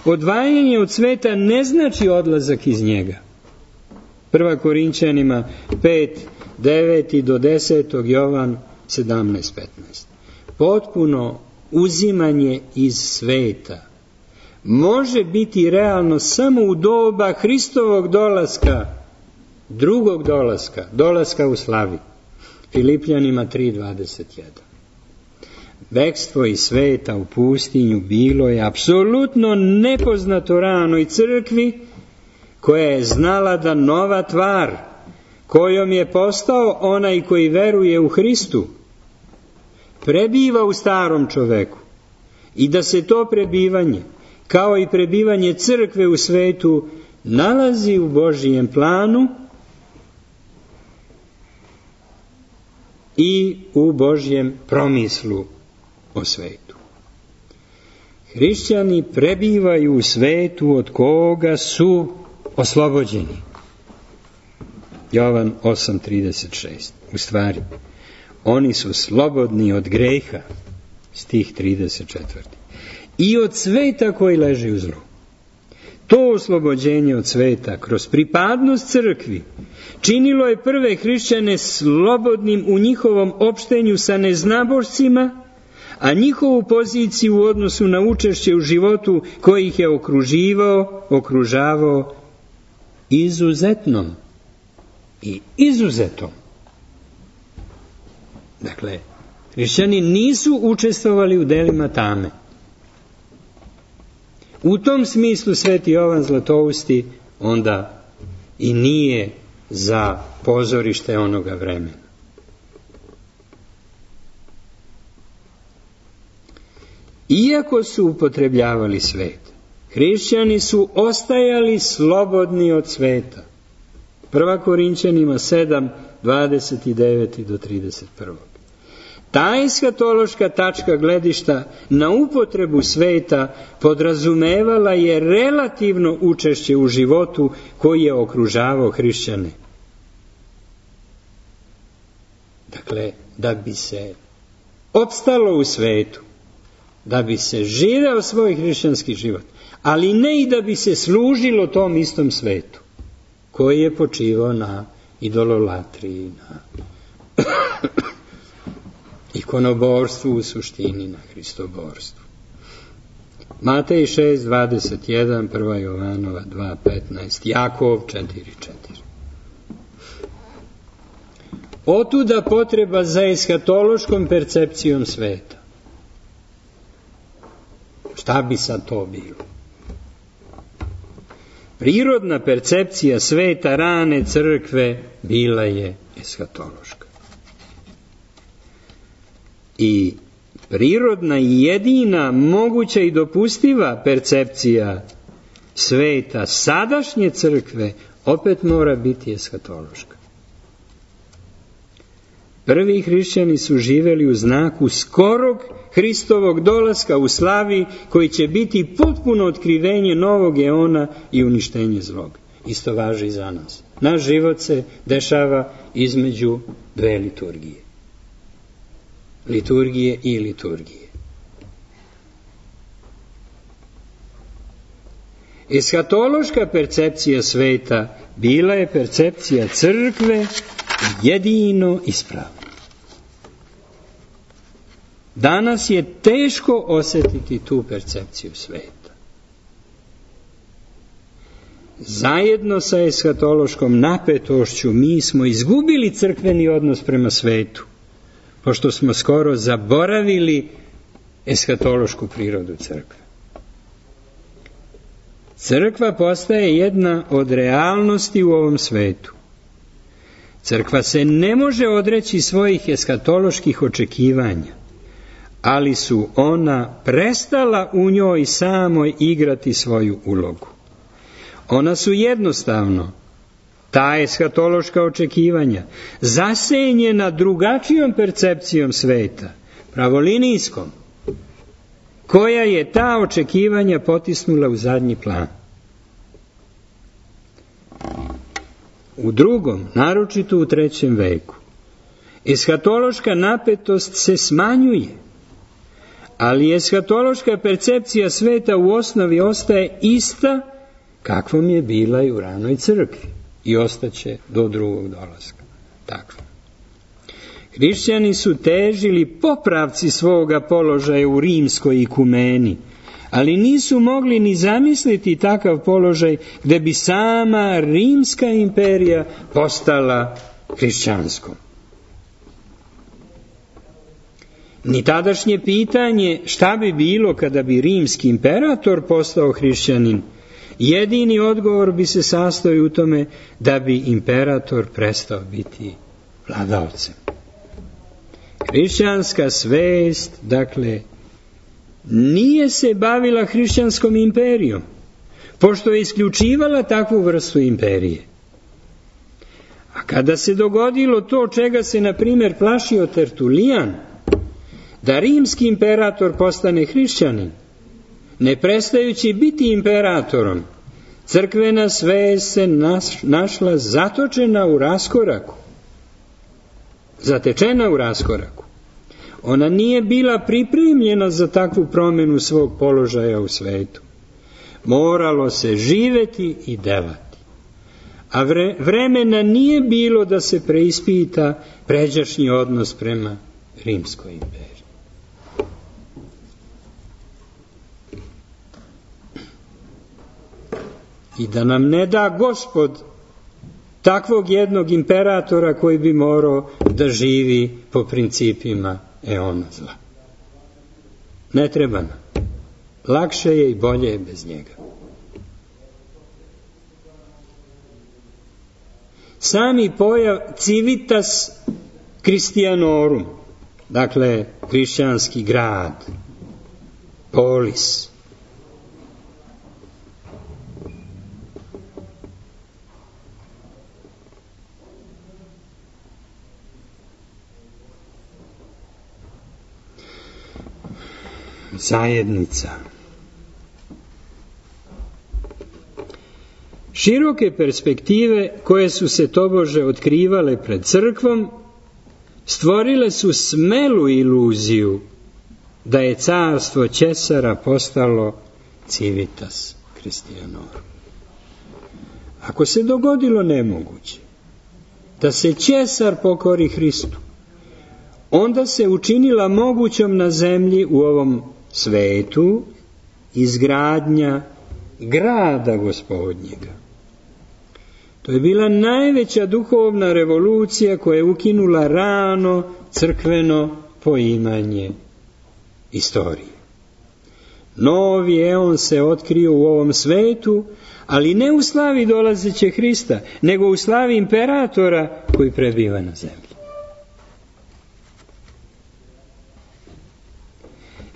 Odvajanje od sveta ne znači odlazak iz njega. 1. Korinćanima 5:9 do 10. Jovan 17:15. Potpuno uzimanje iz sveta može biti realno samo u doba Hristovog dolaska, drugog dolaska, dolaska u slavi. Filipljanima 3:21. Bekstvo iz sveta u pustinju bilo je apsolutno nepoznato ranoj crkvi, koja je znala da nova tvar, kojom je postao onaj koji veruje u Hristu, prebiva u starom čoveku i da se to prebivanje, kao i prebivanje crkve u svetu, nalazi u Božijem planu i u Božjem promislu o svetu. Hrišćani prebivaju u svetu od koga su oslobođeni. Jovan 8:36. U stvari, oni su slobodni od greha, stih 34. I od sveta koji leži u zlu. To oslobođenje od sveta kroz pripadnost crkvi činilo je prve hrišćane slobodnim u njihovom opštenju sa neznabošcima, a njihovu poziciju u odnosu na učešće u životu koji ih je okružavao izuzetnom i izuzetom. Dakle, hrišćani nisu učestvovali u delima tame. U tom smislu sveti Jovan Zlatousti onda i nije za pozorište onoga vremena. Iako su upotrebljavali svet, hrišćani su ostajali slobodni od sveta. 1. Korinćanima 7:29 do 31. Ta eskatološka tačka gledišta na upotrebu sveta podrazumevala je relativno učešće u životu koji je okružavao hrišćane. Dakle, da bi se opstalo u svetu, da bi se živeo svoj hrišćanski život, ali ne i da bi se služilo tom istom svetu, koji je počivao na idololatriji, na ikonoborstvu, u suštini na hristoborstvu. Matej 6:21, 1. Jovanova 2:15, Jakov 4:4. Otuda potreba za eskatološkom percepcijom sveta. Šta bi sad to bilo? Prirodna percepcija sveta rane crkve bila je eskatološka. I prirodna i jedina moguća i dopustiva percepcija sveta sadašnje crkve opet mora biti eskatološka. Prvi hrišćani su živeli u znaku skorog Hristovog dolaska u slavi, koji će biti potpuno otkrivenje novog eona i uništenje zlog. Isto važi i za nas. Naš život se dešava između dve liturgije. Liturgije i liturgije. Eskatološka percepcija sveta bila je percepcija crkve jedino ispravno. Danas je teško osjetiti tu percepciju sveta. Zajedno sa eskatološkom napetošću mi smo izgubili crkveni odnos prema svetu, pošto smo skoro zaboravili eskatološku prirodu crkve. Crkva postaje jedna od realnosti u ovom svetu. Crkva se ne može odreći svojih eskatoloških očekivanja, ali su ona prestala u njoj samoj igrati svoju ulogu. Ona su jednostavno, ta eskatološka očekivanja, zasenjena drugačijom percepcijom sveta, pravolinijskom, koja je ta očekivanja potisnula u zadnji plan. U drugom, naročito u 3. veku, eskatološka napetost se smanjuje, ali eskatološka percepcija sveta u osnovi ostaje ista kakvom je bila i u ranoj crkvi i ostaće do drugog dolaska. Tako. Hrišćani su težili popravci svoga položaja u rimskoj ikumeni, ali nisu mogli ni zamisliti takav položaj gde bi sama rimska imperija postala hrišćanskom. Ni tadašnje pitanje šta bi bilo kada bi rimski imperator postao hrišćanin, jedini odgovor bi se sastojao u tome da bi imperator prestao biti vladaocem. Hrišćanska svest, dakle, nije se bavila hrišćanskom imperijom, pošto je isključivala takvu vrstu imperije. A kada se dogodilo to čega se, na primjer, plašio Tertulijan, da rimski imperator postane hrišćanin, ne prestajući biti imperatorom, crkvena svest se našla zatočena u raskoraku. Zatečena u raskoraku. Ona nije bila pripremljena za takvu promjenu svog položaja u svetu. Moralo se živeti i delati. A vremena nije bilo da se preispita pređašnji odnos prema rimskoj imperiji. I da nam ne da Gospod takvog jednog imperatora koji bi morao da živi po principima eona zla. Ne treba nam. Lakše je i bolje je bez njega. Sami pojav civitas Christianorum, dakle hrišćanski grad, polis, zajednica. Široke perspektive koje su se tobože otkrivale pred crkvom stvorile su smelu iluziju da je carstvo Ćesara postalo civitas Christianorum. Ako se dogodilo nemoguće da se Ćesar pokori Hristu, onda se učinila mogućom na zemlji u ovom svetu izgradnja grada Gospodnjega. To je bila najveća duhovna revolucija koja je ukinula rano crkveno poimanje istorije. Novi eon se otkrio u ovom svetu, ali ne u slavi dolazeće Hrista, nego u slavi imperatora koji prebiva na zemlji.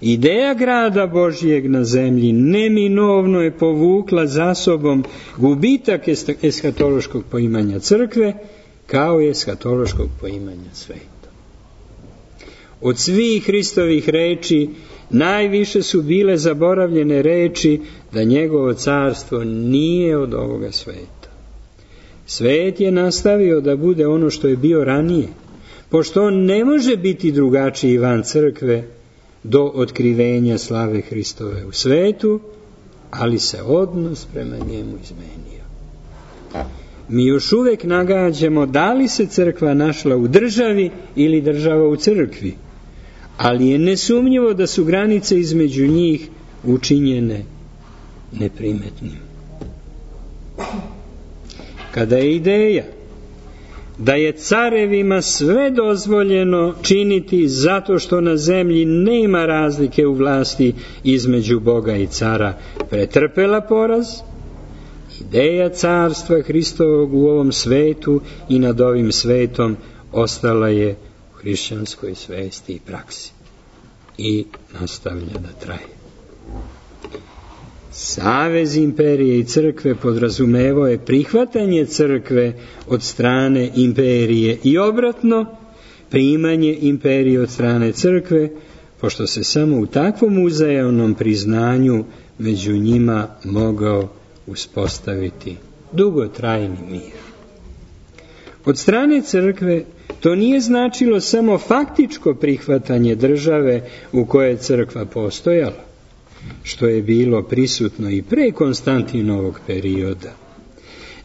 Ideja grada Božjeg na zemlji neminovno je povukla za sobom gubitak eshatološkog poimanja crkve, kao i eshatološkog poimanja sveta. Od svih Hristovih reči najviše su bile zaboravljene reči da njegovo carstvo nije od ovoga sveta. Svet je nastavio da bude ono što je bio ranije, pošto on ne može biti drugačiji van crkve do otkrivenja slave Hristove u svetu, ali se odnos prema njemu izmenio. Mi još uvek nagađamo da li se crkva našla u državi ili država u crkvi, ali je nesumnjivo da su granice između njih učinjene neprimetnim. Kada je ideja da je carevima sve dozvoljeno činiti zato što na zemlji nema razlike u vlasti između Boga i cara pretrpela poraz, ideja carstva Hristovog u ovom svetu i nad ovim svetom ostala je u hrišćanskoj svesti i praksi i nastavlja da traje. Savez imperije i crkve podrazumevao je prihvatanje crkve od strane imperije i obratno, primanje imperije od strane crkve, pošto se samo u takvom uzajamnom priznanju među njima mogao uspostaviti dugotrajni mir. Od strane crkve to nije značilo samo faktičko prihvatanje države u kojoj je crkva postojala, što je bilo prisutno i pre Konstantinovog perioda,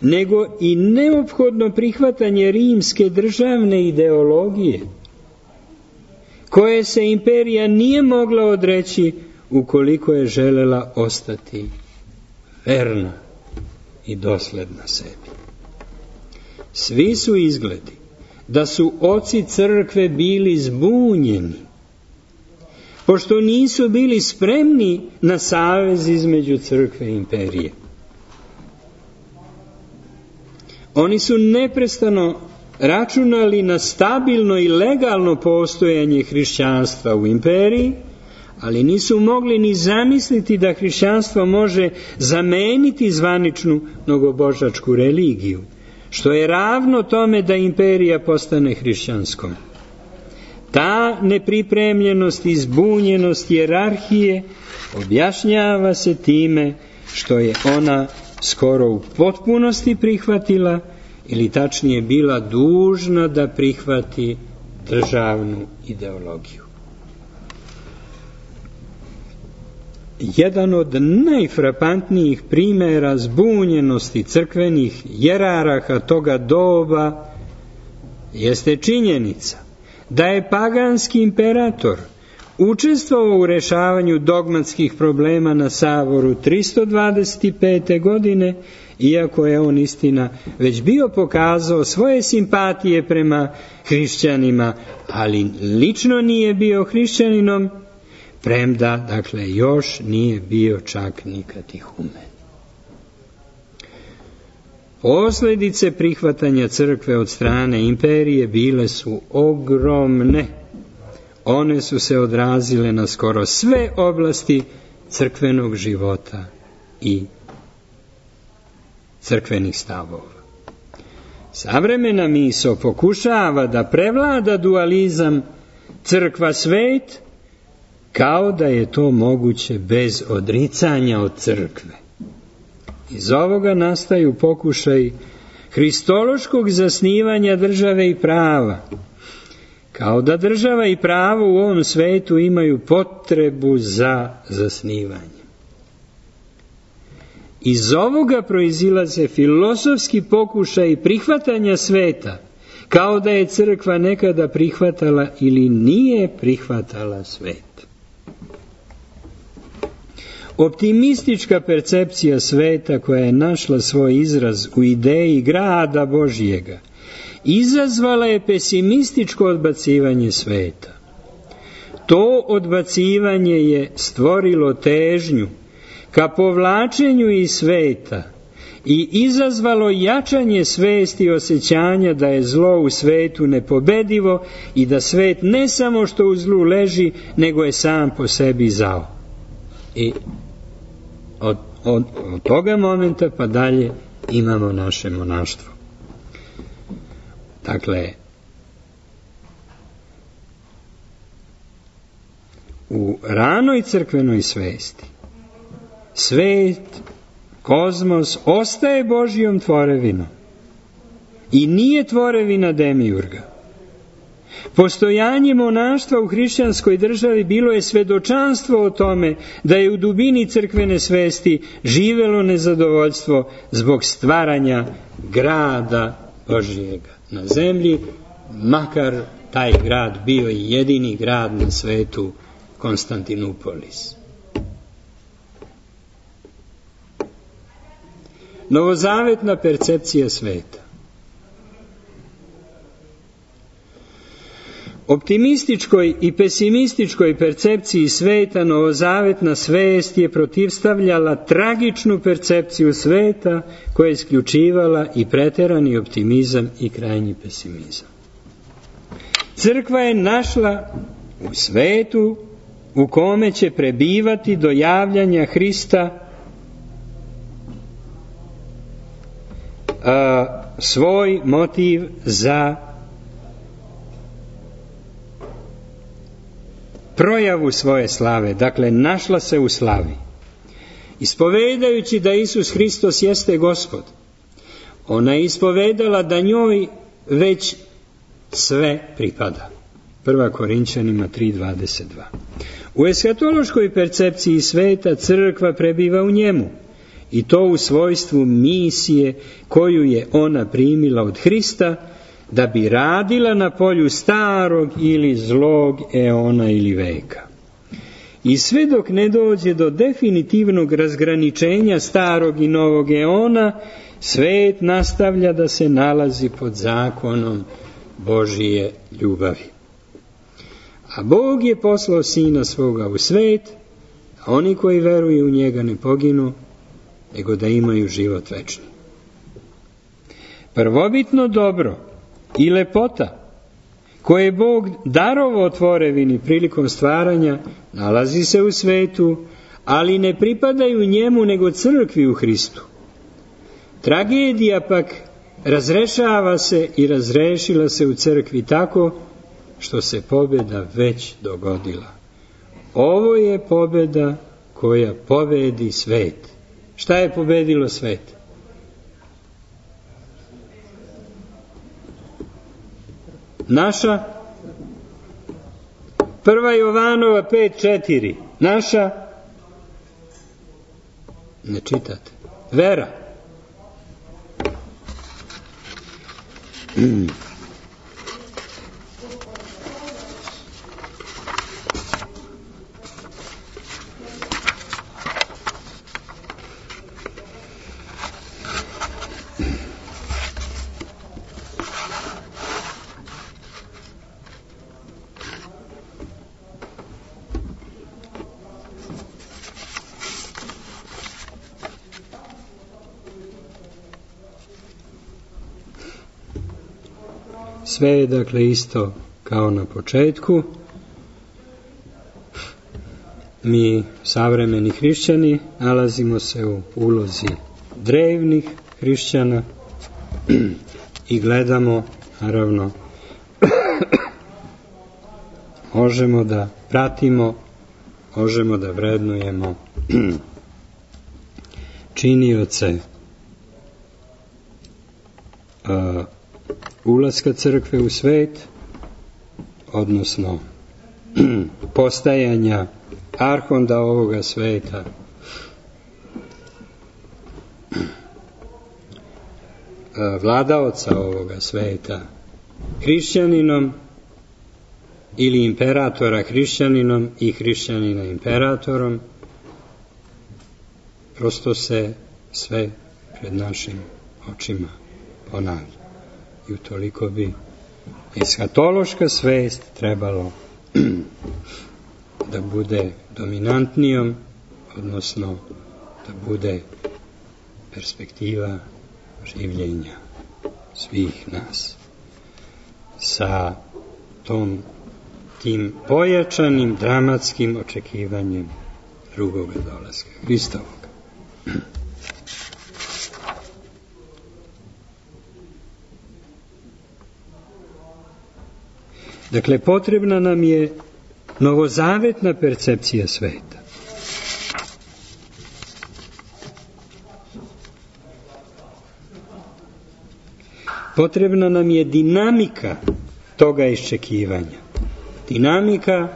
nego i neophodno prihvatanje rimske državne ideologije, koje se imperija nije mogla odreći ukoliko je želela ostati verna i dosledna sebi. Svi su izgledi da su oci crkve bili zbunjeni, pošto nisu bili spremni na savez između crkve i imperije. Oni su neprestano računali na stabilno i legalno postojanje hrišćanstva u imperiji, ali nisu mogli ni zamisliti da hrišćanstvo može zameniti zvaničnu mnogobožačku religiju, što je ravno tome da imperija postane hrišćanskom. Ta nepripremljenost i zbunjenost hijerarhije objašnjava se time što je ona skoro u potpunosti prihvatila, ili tačnije bila dužna da prihvati državnu ideologiju. Jedan od najfrapantnijih primjera zbunjenosti crkvenih jerarha toga doba jeste činjenica da je paganski imperator učestvovao u rešavanju dogmatskih problema na Savoru 325. godine, iako je on istina već bio pokazao svoje simpatije prema hrišćanima, ali lično nije bio hrišćaninom, premda, dakle, još nije bio čak ni katehumen. Posljedice prihvatanja crkve od strane imperije bile su ogromne. One su se odrazile na skoro sve oblasti crkvenog života i crkvenih stavova. Savremena misao pokušava da prevlada dualizam crkva-svet, kao da je to moguće bez odricanja od crkve. Iz ovoga nastaju pokušaj hristološkog zasnivanja države i prava, kao da država i pravo u ovom svetu imaju potrebu za zasnivanjem. Iz ovoga proizilaze filozofski pokušaj prihvatanja sveta, kao da je crkva nekada prihvatala ili nije prihvatala svet. Optimistička percepcija sveta koja je našla svoj izraz u ideji grada Božjega izazvala je pesimističko odbacivanje sveta. To odbacivanje je stvorilo težnju ka povlačenju iz sveta i izazvalo jačanje svesti i osjećanja da je zlo u svetu nepobedivo i da svet ne samo što u zlu leži, nego je sam po sebi zao. I od toga momenta pa dalje imamo naše monaštvo. Dakle, u ranoj crkvenoj svesti svet, kozmos ostaje Božjom tvorevinom i nije tvorevina demiurga. Postojanje monaštva u hrišćanskoj državi bilo je svedočanstvo o tome da je u dubini crkvene svesti živelo nezadovoljstvo zbog stvaranja grada Božjega na zemlji, makar taj grad bio i jedini grad na svetu, Konstantinupolis. Novozavetna percepcija sveta. Optimističkoj i pesimističkoj percepciji sveta novozavetna svest je protivstavljala tragičnu percepciju sveta koja je isključivala i preterani optimizam i krajnji pesimizam. Crkva je našla u svetu u kome će prebivati do javljanja Hrista svoj motiv za projavu svoje slave, dakle našla se u slavi. Ispovedajući da Isus Hristos jeste Gospod, ona je ispovedala da njoj već sve pripada. 1. Korinćanima 3:22. U eskatološkoj percepciji sveta crkva prebiva u njemu, i to u svojstvu misije koju je ona primila od Hrista, da bi radila na polju starog ili zlog eona ili veka. I sve dok ne dođe do definitivnog razgraničenja starog i novog eona, svet nastavlja da se nalazi pod zakonom Božije ljubavi. A Bog je poslao Sina svoga u svet, a oni koji veruju u njega ne poginu, nego da imaju život večni. Prvobitno dobro i lepota koje je Bog darovao tvorevini prilikom stvaranja nalazi se u svetu, ali ne pripadaju njemu nego crkvi u Hristu. Tragedija pak razrešava se i razrešila se u crkvi tako što se pobjeda već dogodila. Ovo je pobjeda koja pobedi svet. Šta je pobedilo svet? Naša 1. Jovanova 5:4. Naša, ne čitate, vera. Sve je dakle isto kao na početku. Mi, savremeni hrišćani, nalazimo se u ulozi drevnih hrišćana i gledamo, naravno, možemo da pratimo, možemo da vrednujemo činioce ulaska crkve u svet, odnosno postajanja arhonda ovoga sveta, vladaoca ovoga sveta hrišćaninom ili imperatora hrišćaninom i hrišćanina imperatorom, prosto se sve pred našim očima ponavlja. I utoliko bi eskatološka svest trebalo da bude dominantnijom, odnosno da bude perspektiva življenja svih nas sa tim pojačanim dramatskim očekivanjem drugoga dolaska Hristovog. Dakle, potrebna nam je novozavetna percepcija sveta. Potrebna nam je dinamika toga iščekivanja. Dinamika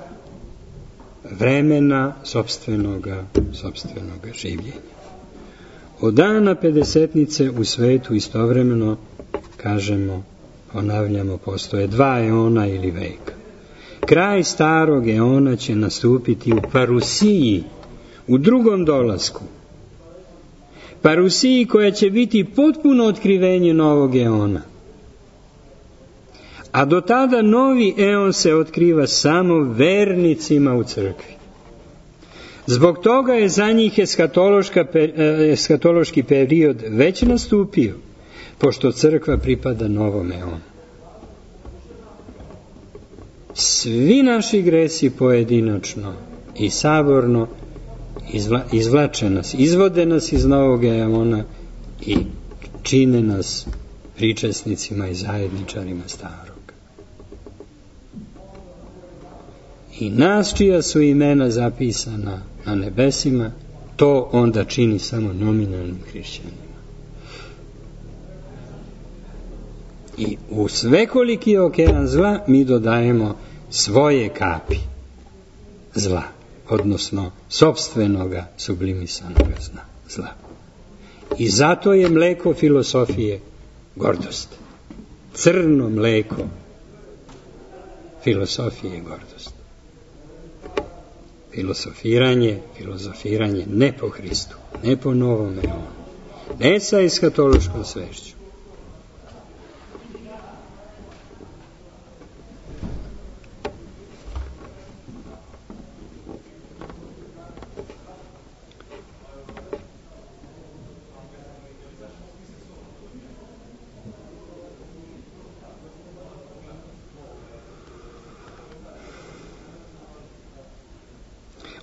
vremena sopstvenoga življenja. Od dana pedesetnice u svetu istovremeno, kažemo, ponavljamo, postoje 2 eona ili veka. Kraj starog eona će nastupiti u parusiji, u drugom dolasku. Parusiji koja će biti potpuno otkrivenje novog eona. A do tada novi eon se otkriva samo vernicima u crkvi. Zbog toga je za njih eskatološki period već nastupio, pošto crkva pripada novom eonu. Svi naši gresi pojedinačno i saborno izvlače nas, izvode nas iz novog eona i čine nas pričesnicima i zajedničarima starog. I nas čija su imena zapisana na nebesima, to onda čini samo nominalnim hrišćanima. I u svekoliki okean zla mi dodajemo svoje kapi zla, odnosno sopstvenoga sublimissanoga zla. I zato je mleko filosofije gordost. Crno mleko filosofije gordost. Filozofiranje ne po Hristu, ne po novom eonu, ne sa eskatološkom svešću.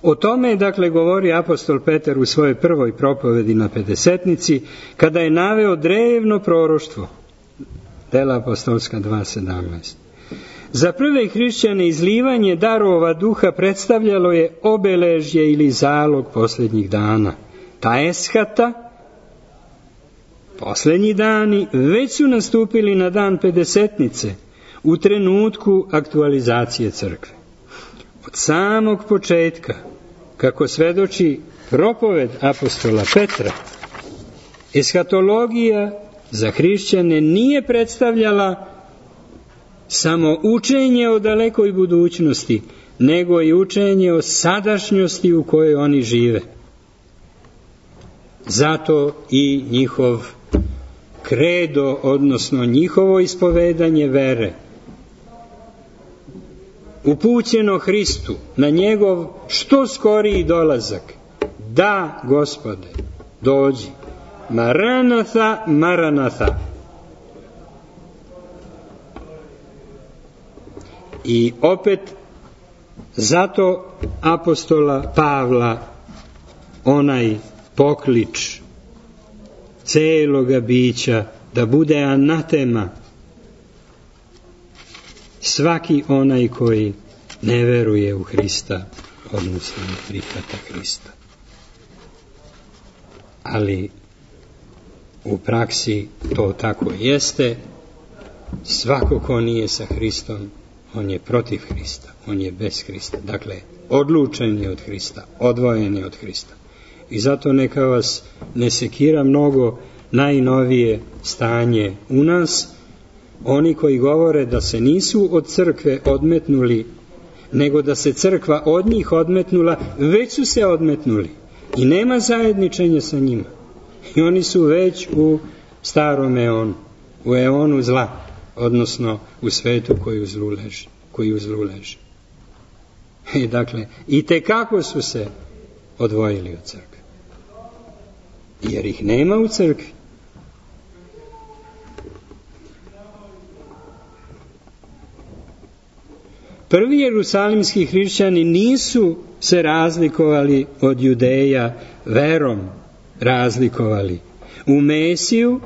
O tome je, dakle, govori apostol Petar u svojoj prvoj propovedi na Pedesetnici, kada je naveo drevno proroštvo, Dela apostolska 2.17. Za prve hrišćane izlivanje darova duha predstavljalo je obeležje ili zalog posljednjih dana. Ta eshata, posljednji dani, već su nastupili na dan Pedesetnice, u trenutku aktualizacije crkve. Od samog početka, kako svedoči propoved apostola Petra, eshatologija za hrišćane nije predstavljala samo učenje o dalekoj budućnosti, nego i učenje o sadašnjosti u kojoj oni žive. Zato i njihov kredo, odnosno njihovo ispovedanje vere, upućeno Hristu na njegov što skoriji dolazak. Da, Gospode, dođi. Maranatha, Maranatha. I opet zato apostola Pavla onaj poklič celoga bića da bude anatema svaki onaj koji ne veruje u Hrista, odnosno ne prihvata Hrista. Ali u praksi to tako jeste. Svako ko nije sa Hristom, on je protiv Hrista, on je bez Hrista. Dakle, odlučen je od Hrista, odvojen je od Hrista. I zato neka vas ne sekira mnogo najnovije stanje u nas, oni koji govore da se nisu od crkve odmetnuli, nego da se crkva od njih odmetnula, već su se odmetnuli i nema zajedničenja sa njima. I oni su već u starom eonu, u eonu zla, odnosno u svetu koji u zlu leži. Dakle, i tekako su se odvojili od crkve. Jer ih nema u crkvi. Prvi jerusalimski hrišćani nisu se razlikovali od Judeja, verom razlikovali u Mesiju,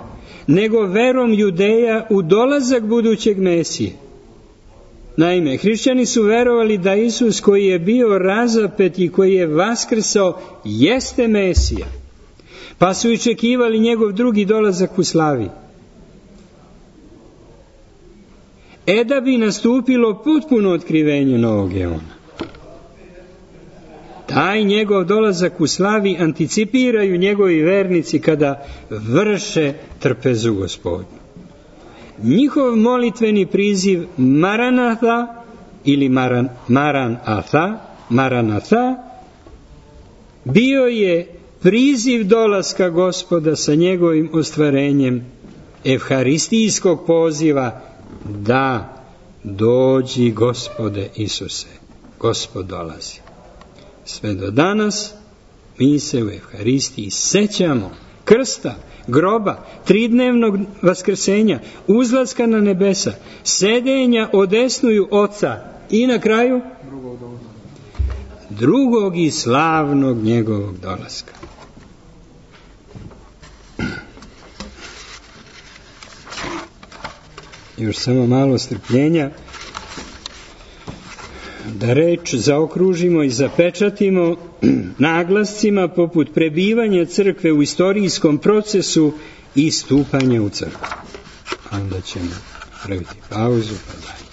nego verom Judeja u dolazak budućeg Mesije. Naime, hrišćani su verovali da Isus koji je bio razapet i koji je vaskrsao jeste Mesija, pa su iščekivali njegov drugi dolazak u slavi. Da bi nastupilo potpuno otkrivenje novog eona. Taj njegov dolazak u slavi anticipiraju njegovi vernici kada vrše trpezu Gospodnju. Njihov molitveni priziv Maranatha ili Maranatha bio je priziv dolaska Gospoda sa njegovim ostvarenjem evharistijskog poziva da dođi Gospode Isuse, Gospod dolazi. Sve do danas mi se u evharistiji sećamo krsta, groba, tridnevnog vaskrsenja, uzlaska na nebesa, sedenja odesnuju Oca i na kraju drugog i slavnog njegovog dolaska. Još samo malo strpljenja da reč zaokružimo i zapečatimo naglascima poput prebivanja crkve u istorijskom procesu i stupanja u crkvu. Onda ćemo praviti pauzu pa dalje.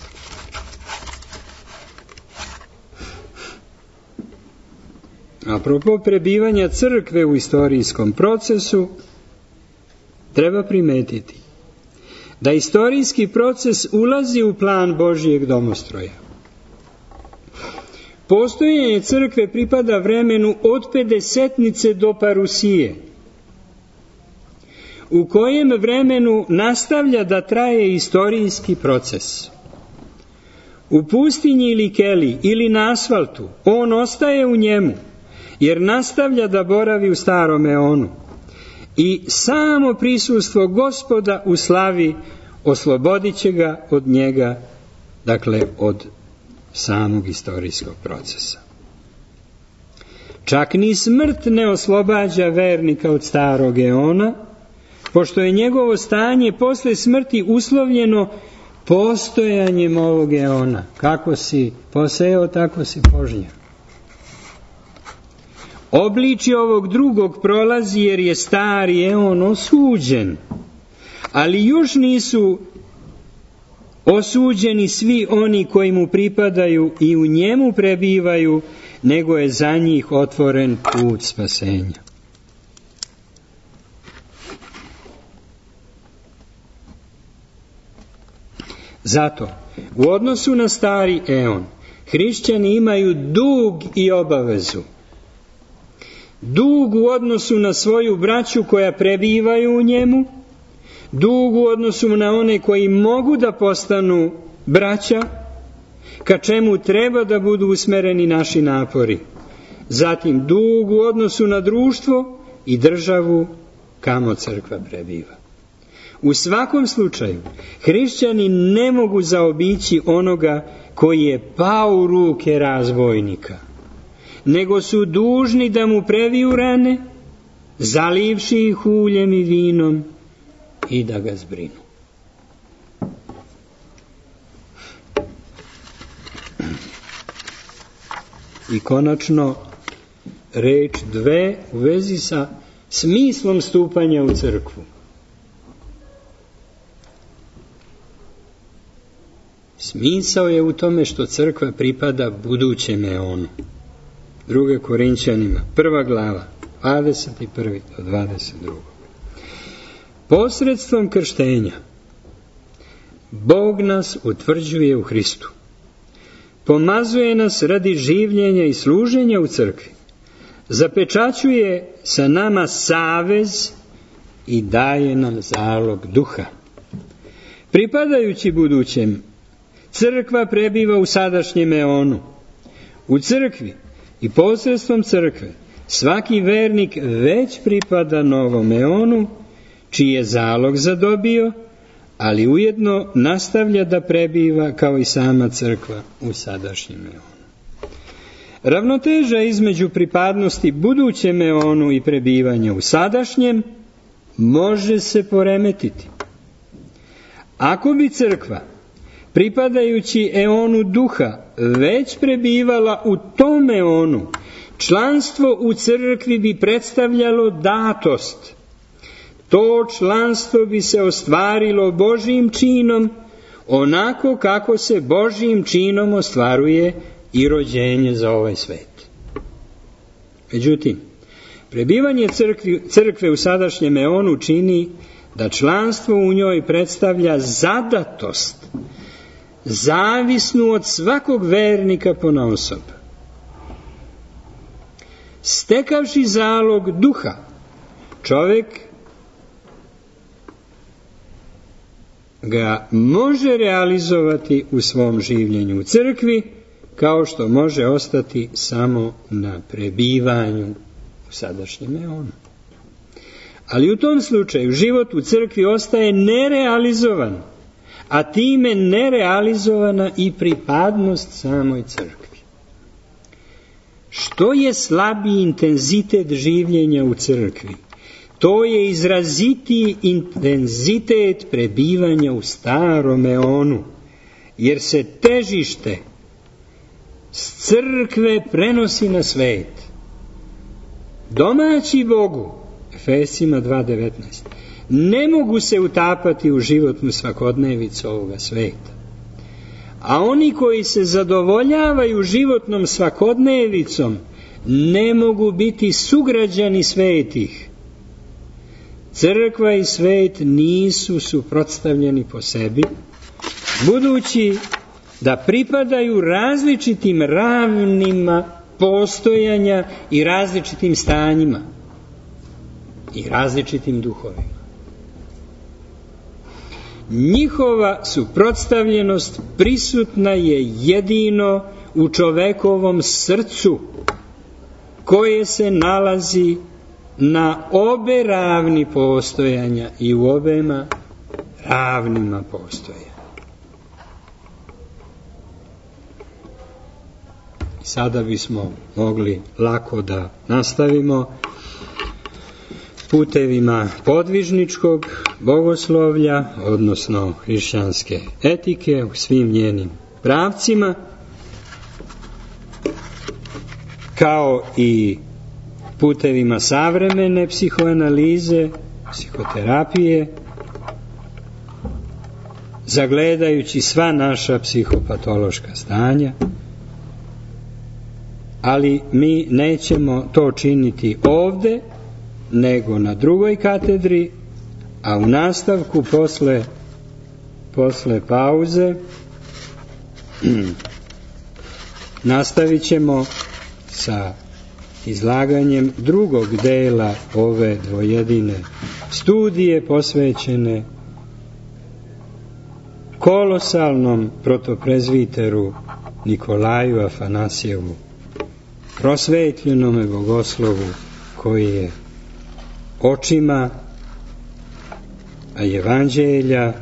Apropo prebivanja crkve u istorijskom procesu, treba primetiti da istorijski proces ulazi u plan Božijeg domostroja. Postojanje crkve pripada vremenu od Pedesetnice do Parusije, u kojem vremenu nastavlja da traje istorijski proces. U pustinji ili keli ili na asfaltu on ostaje u njemu, jer nastavlja da boravi u starom eonu. I samo prisustvo Gospoda u slavi oslobodit će ga od njega, dakle od samog istorijskog procesa. Čak ni smrt ne oslobađa vernika od starog eona, pošto je njegovo stanje posle smrti uslovljeno postojanjem ovog eona. Kako si posejao, tako si požnjao. Obličje ovog drugog prolazi jer je stari eon osuđen, ali još nisu osuđeni svi oni koji mu pripadaju i u njemu prebivaju, nego je za njih otvoren put spasenja. Zato, u odnosu na stari eon, hrišćani imaju dug i obavezu. Dug u odnosu na svoju braću koja prebivaju u njemu, dug u odnosu na one koji mogu da postanu braća, ka čemu treba da budu usmereni naši napori. Zatim dug u odnosu na društvo i državu kamo crkva prebiva. U svakom slučaju, hrišćani ne mogu zaobići onoga koji je pao u ruke razbojnika, nego su dužni da mu previju rane, zalivši ih uljem i vinom, i da ga zbrinu. I konačno, reč dve u vezi sa smislom stupanja u crkvu. Smisao je u tome što crkva pripada budućem eonu. 2. Korinćanima, 1. glava, 21. do 22. posredstvom krštenja Bog nas utvrđuje u Hristu. Pomazuje nas radi življenja i služenja u crkvi. Zapečaćuje sa nama savez i daje nam zalog duha. Pripadajući budućem, crkva prebiva u sadašnjem eonu. U crkvi i posredstvom crkve svaki vernik već pripada novom eonu, čiji je zalog zadobio, ali ujedno nastavlja da prebiva kao i sama crkva u sadašnjem eonu. Ravnoteža između pripadnosti budućem eonu i prebivanja u sadašnjem može se poremetiti. Ako bi crkva, pripadajući eonu duha, već prebivala u tom eonu, članstvo u crkvi bi predstavljalo datost. To članstvo bi se ostvarilo Božjim činom, onako kako se Božjim činom ostvaruje i rođenje za ovaj svet. Međutim, prebivanje crkve u sadašnjem eonu čini da članstvo u njoj predstavlja zadatost, zavisnu od svakog vernika ponaosob. Stekavši zalog duha, čovjek ga može realizovati u svom življenju u crkvi, kao što može ostati samo na prebivanju u sadašnjem eonu. Ali u tom slučaju život u crkvi ostaje nerealizovan, a time nerealizovana i pripadnost samoj crkvi. Što je slabiji intenzitet življenja u crkvi, to je izrazitiji intenzitet prebivanja u starom eonu, jer se težište s crkve prenosi na svet. Domaći Bogu, Efesima 2.19, ne mogu se utapati u životnu svakodnevicu ovoga sveta. A oni koji se zadovoljavaju životnom svakodnevicom ne mogu biti sugrađani svetih. Crkva i svet nisu suprotstavljeni po sebi, budući da pripadaju različitim ravnima postojanja i različitim stanjima i različitim duhovima. Njihova suprotstavljenost prisutna je jedino u čovekovom srcu, koje se nalazi na obe ravni postojanja i u obema ravnima postojanja. Sada bismo mogli lako da nastavimo putevima podvižničkog bogoslovlja, odnosno hrišćanske etike u svim njenim pravcima, kao i putevima savremene psihoanalize, psihoterapije, zagledajući sva naša psihopatološka stanja, ali mi nećemo to činiti ovde, nego na drugoj katedri, a u nastavku posle pauze nastavit ćemo sa izlaganjem drugog dela ove dvojedine studije posvećene kolosalnom protoprezviteru Nikolaju Afanasjevu, prosvetljenome bogoslovu koji je očima evanđelja,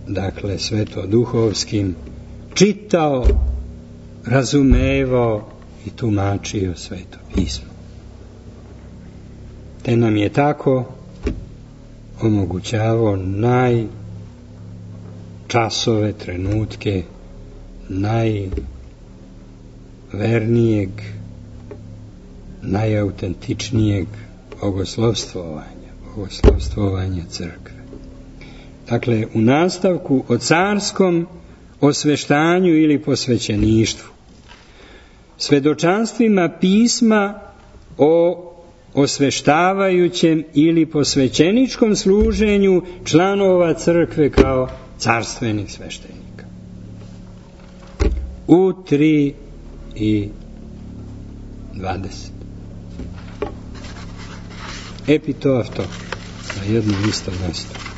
dakle svetoduhovskim, čitao, razumevao i tumačio Sveto pismo. Te nam je tako omogućavao najčasove, trenutke, najvernijeg, najautentičnijeg bogoslovstvovanja crkve. Dakle, u nastavku o carskom osveštanju ili posvećeništvu, svedočanstvima pisma o osveštavajućem ili posvećeničkom služenju članova crkve kao carstvenih sveštenika. U 3:20. Epitofto na jednom istom mjestu.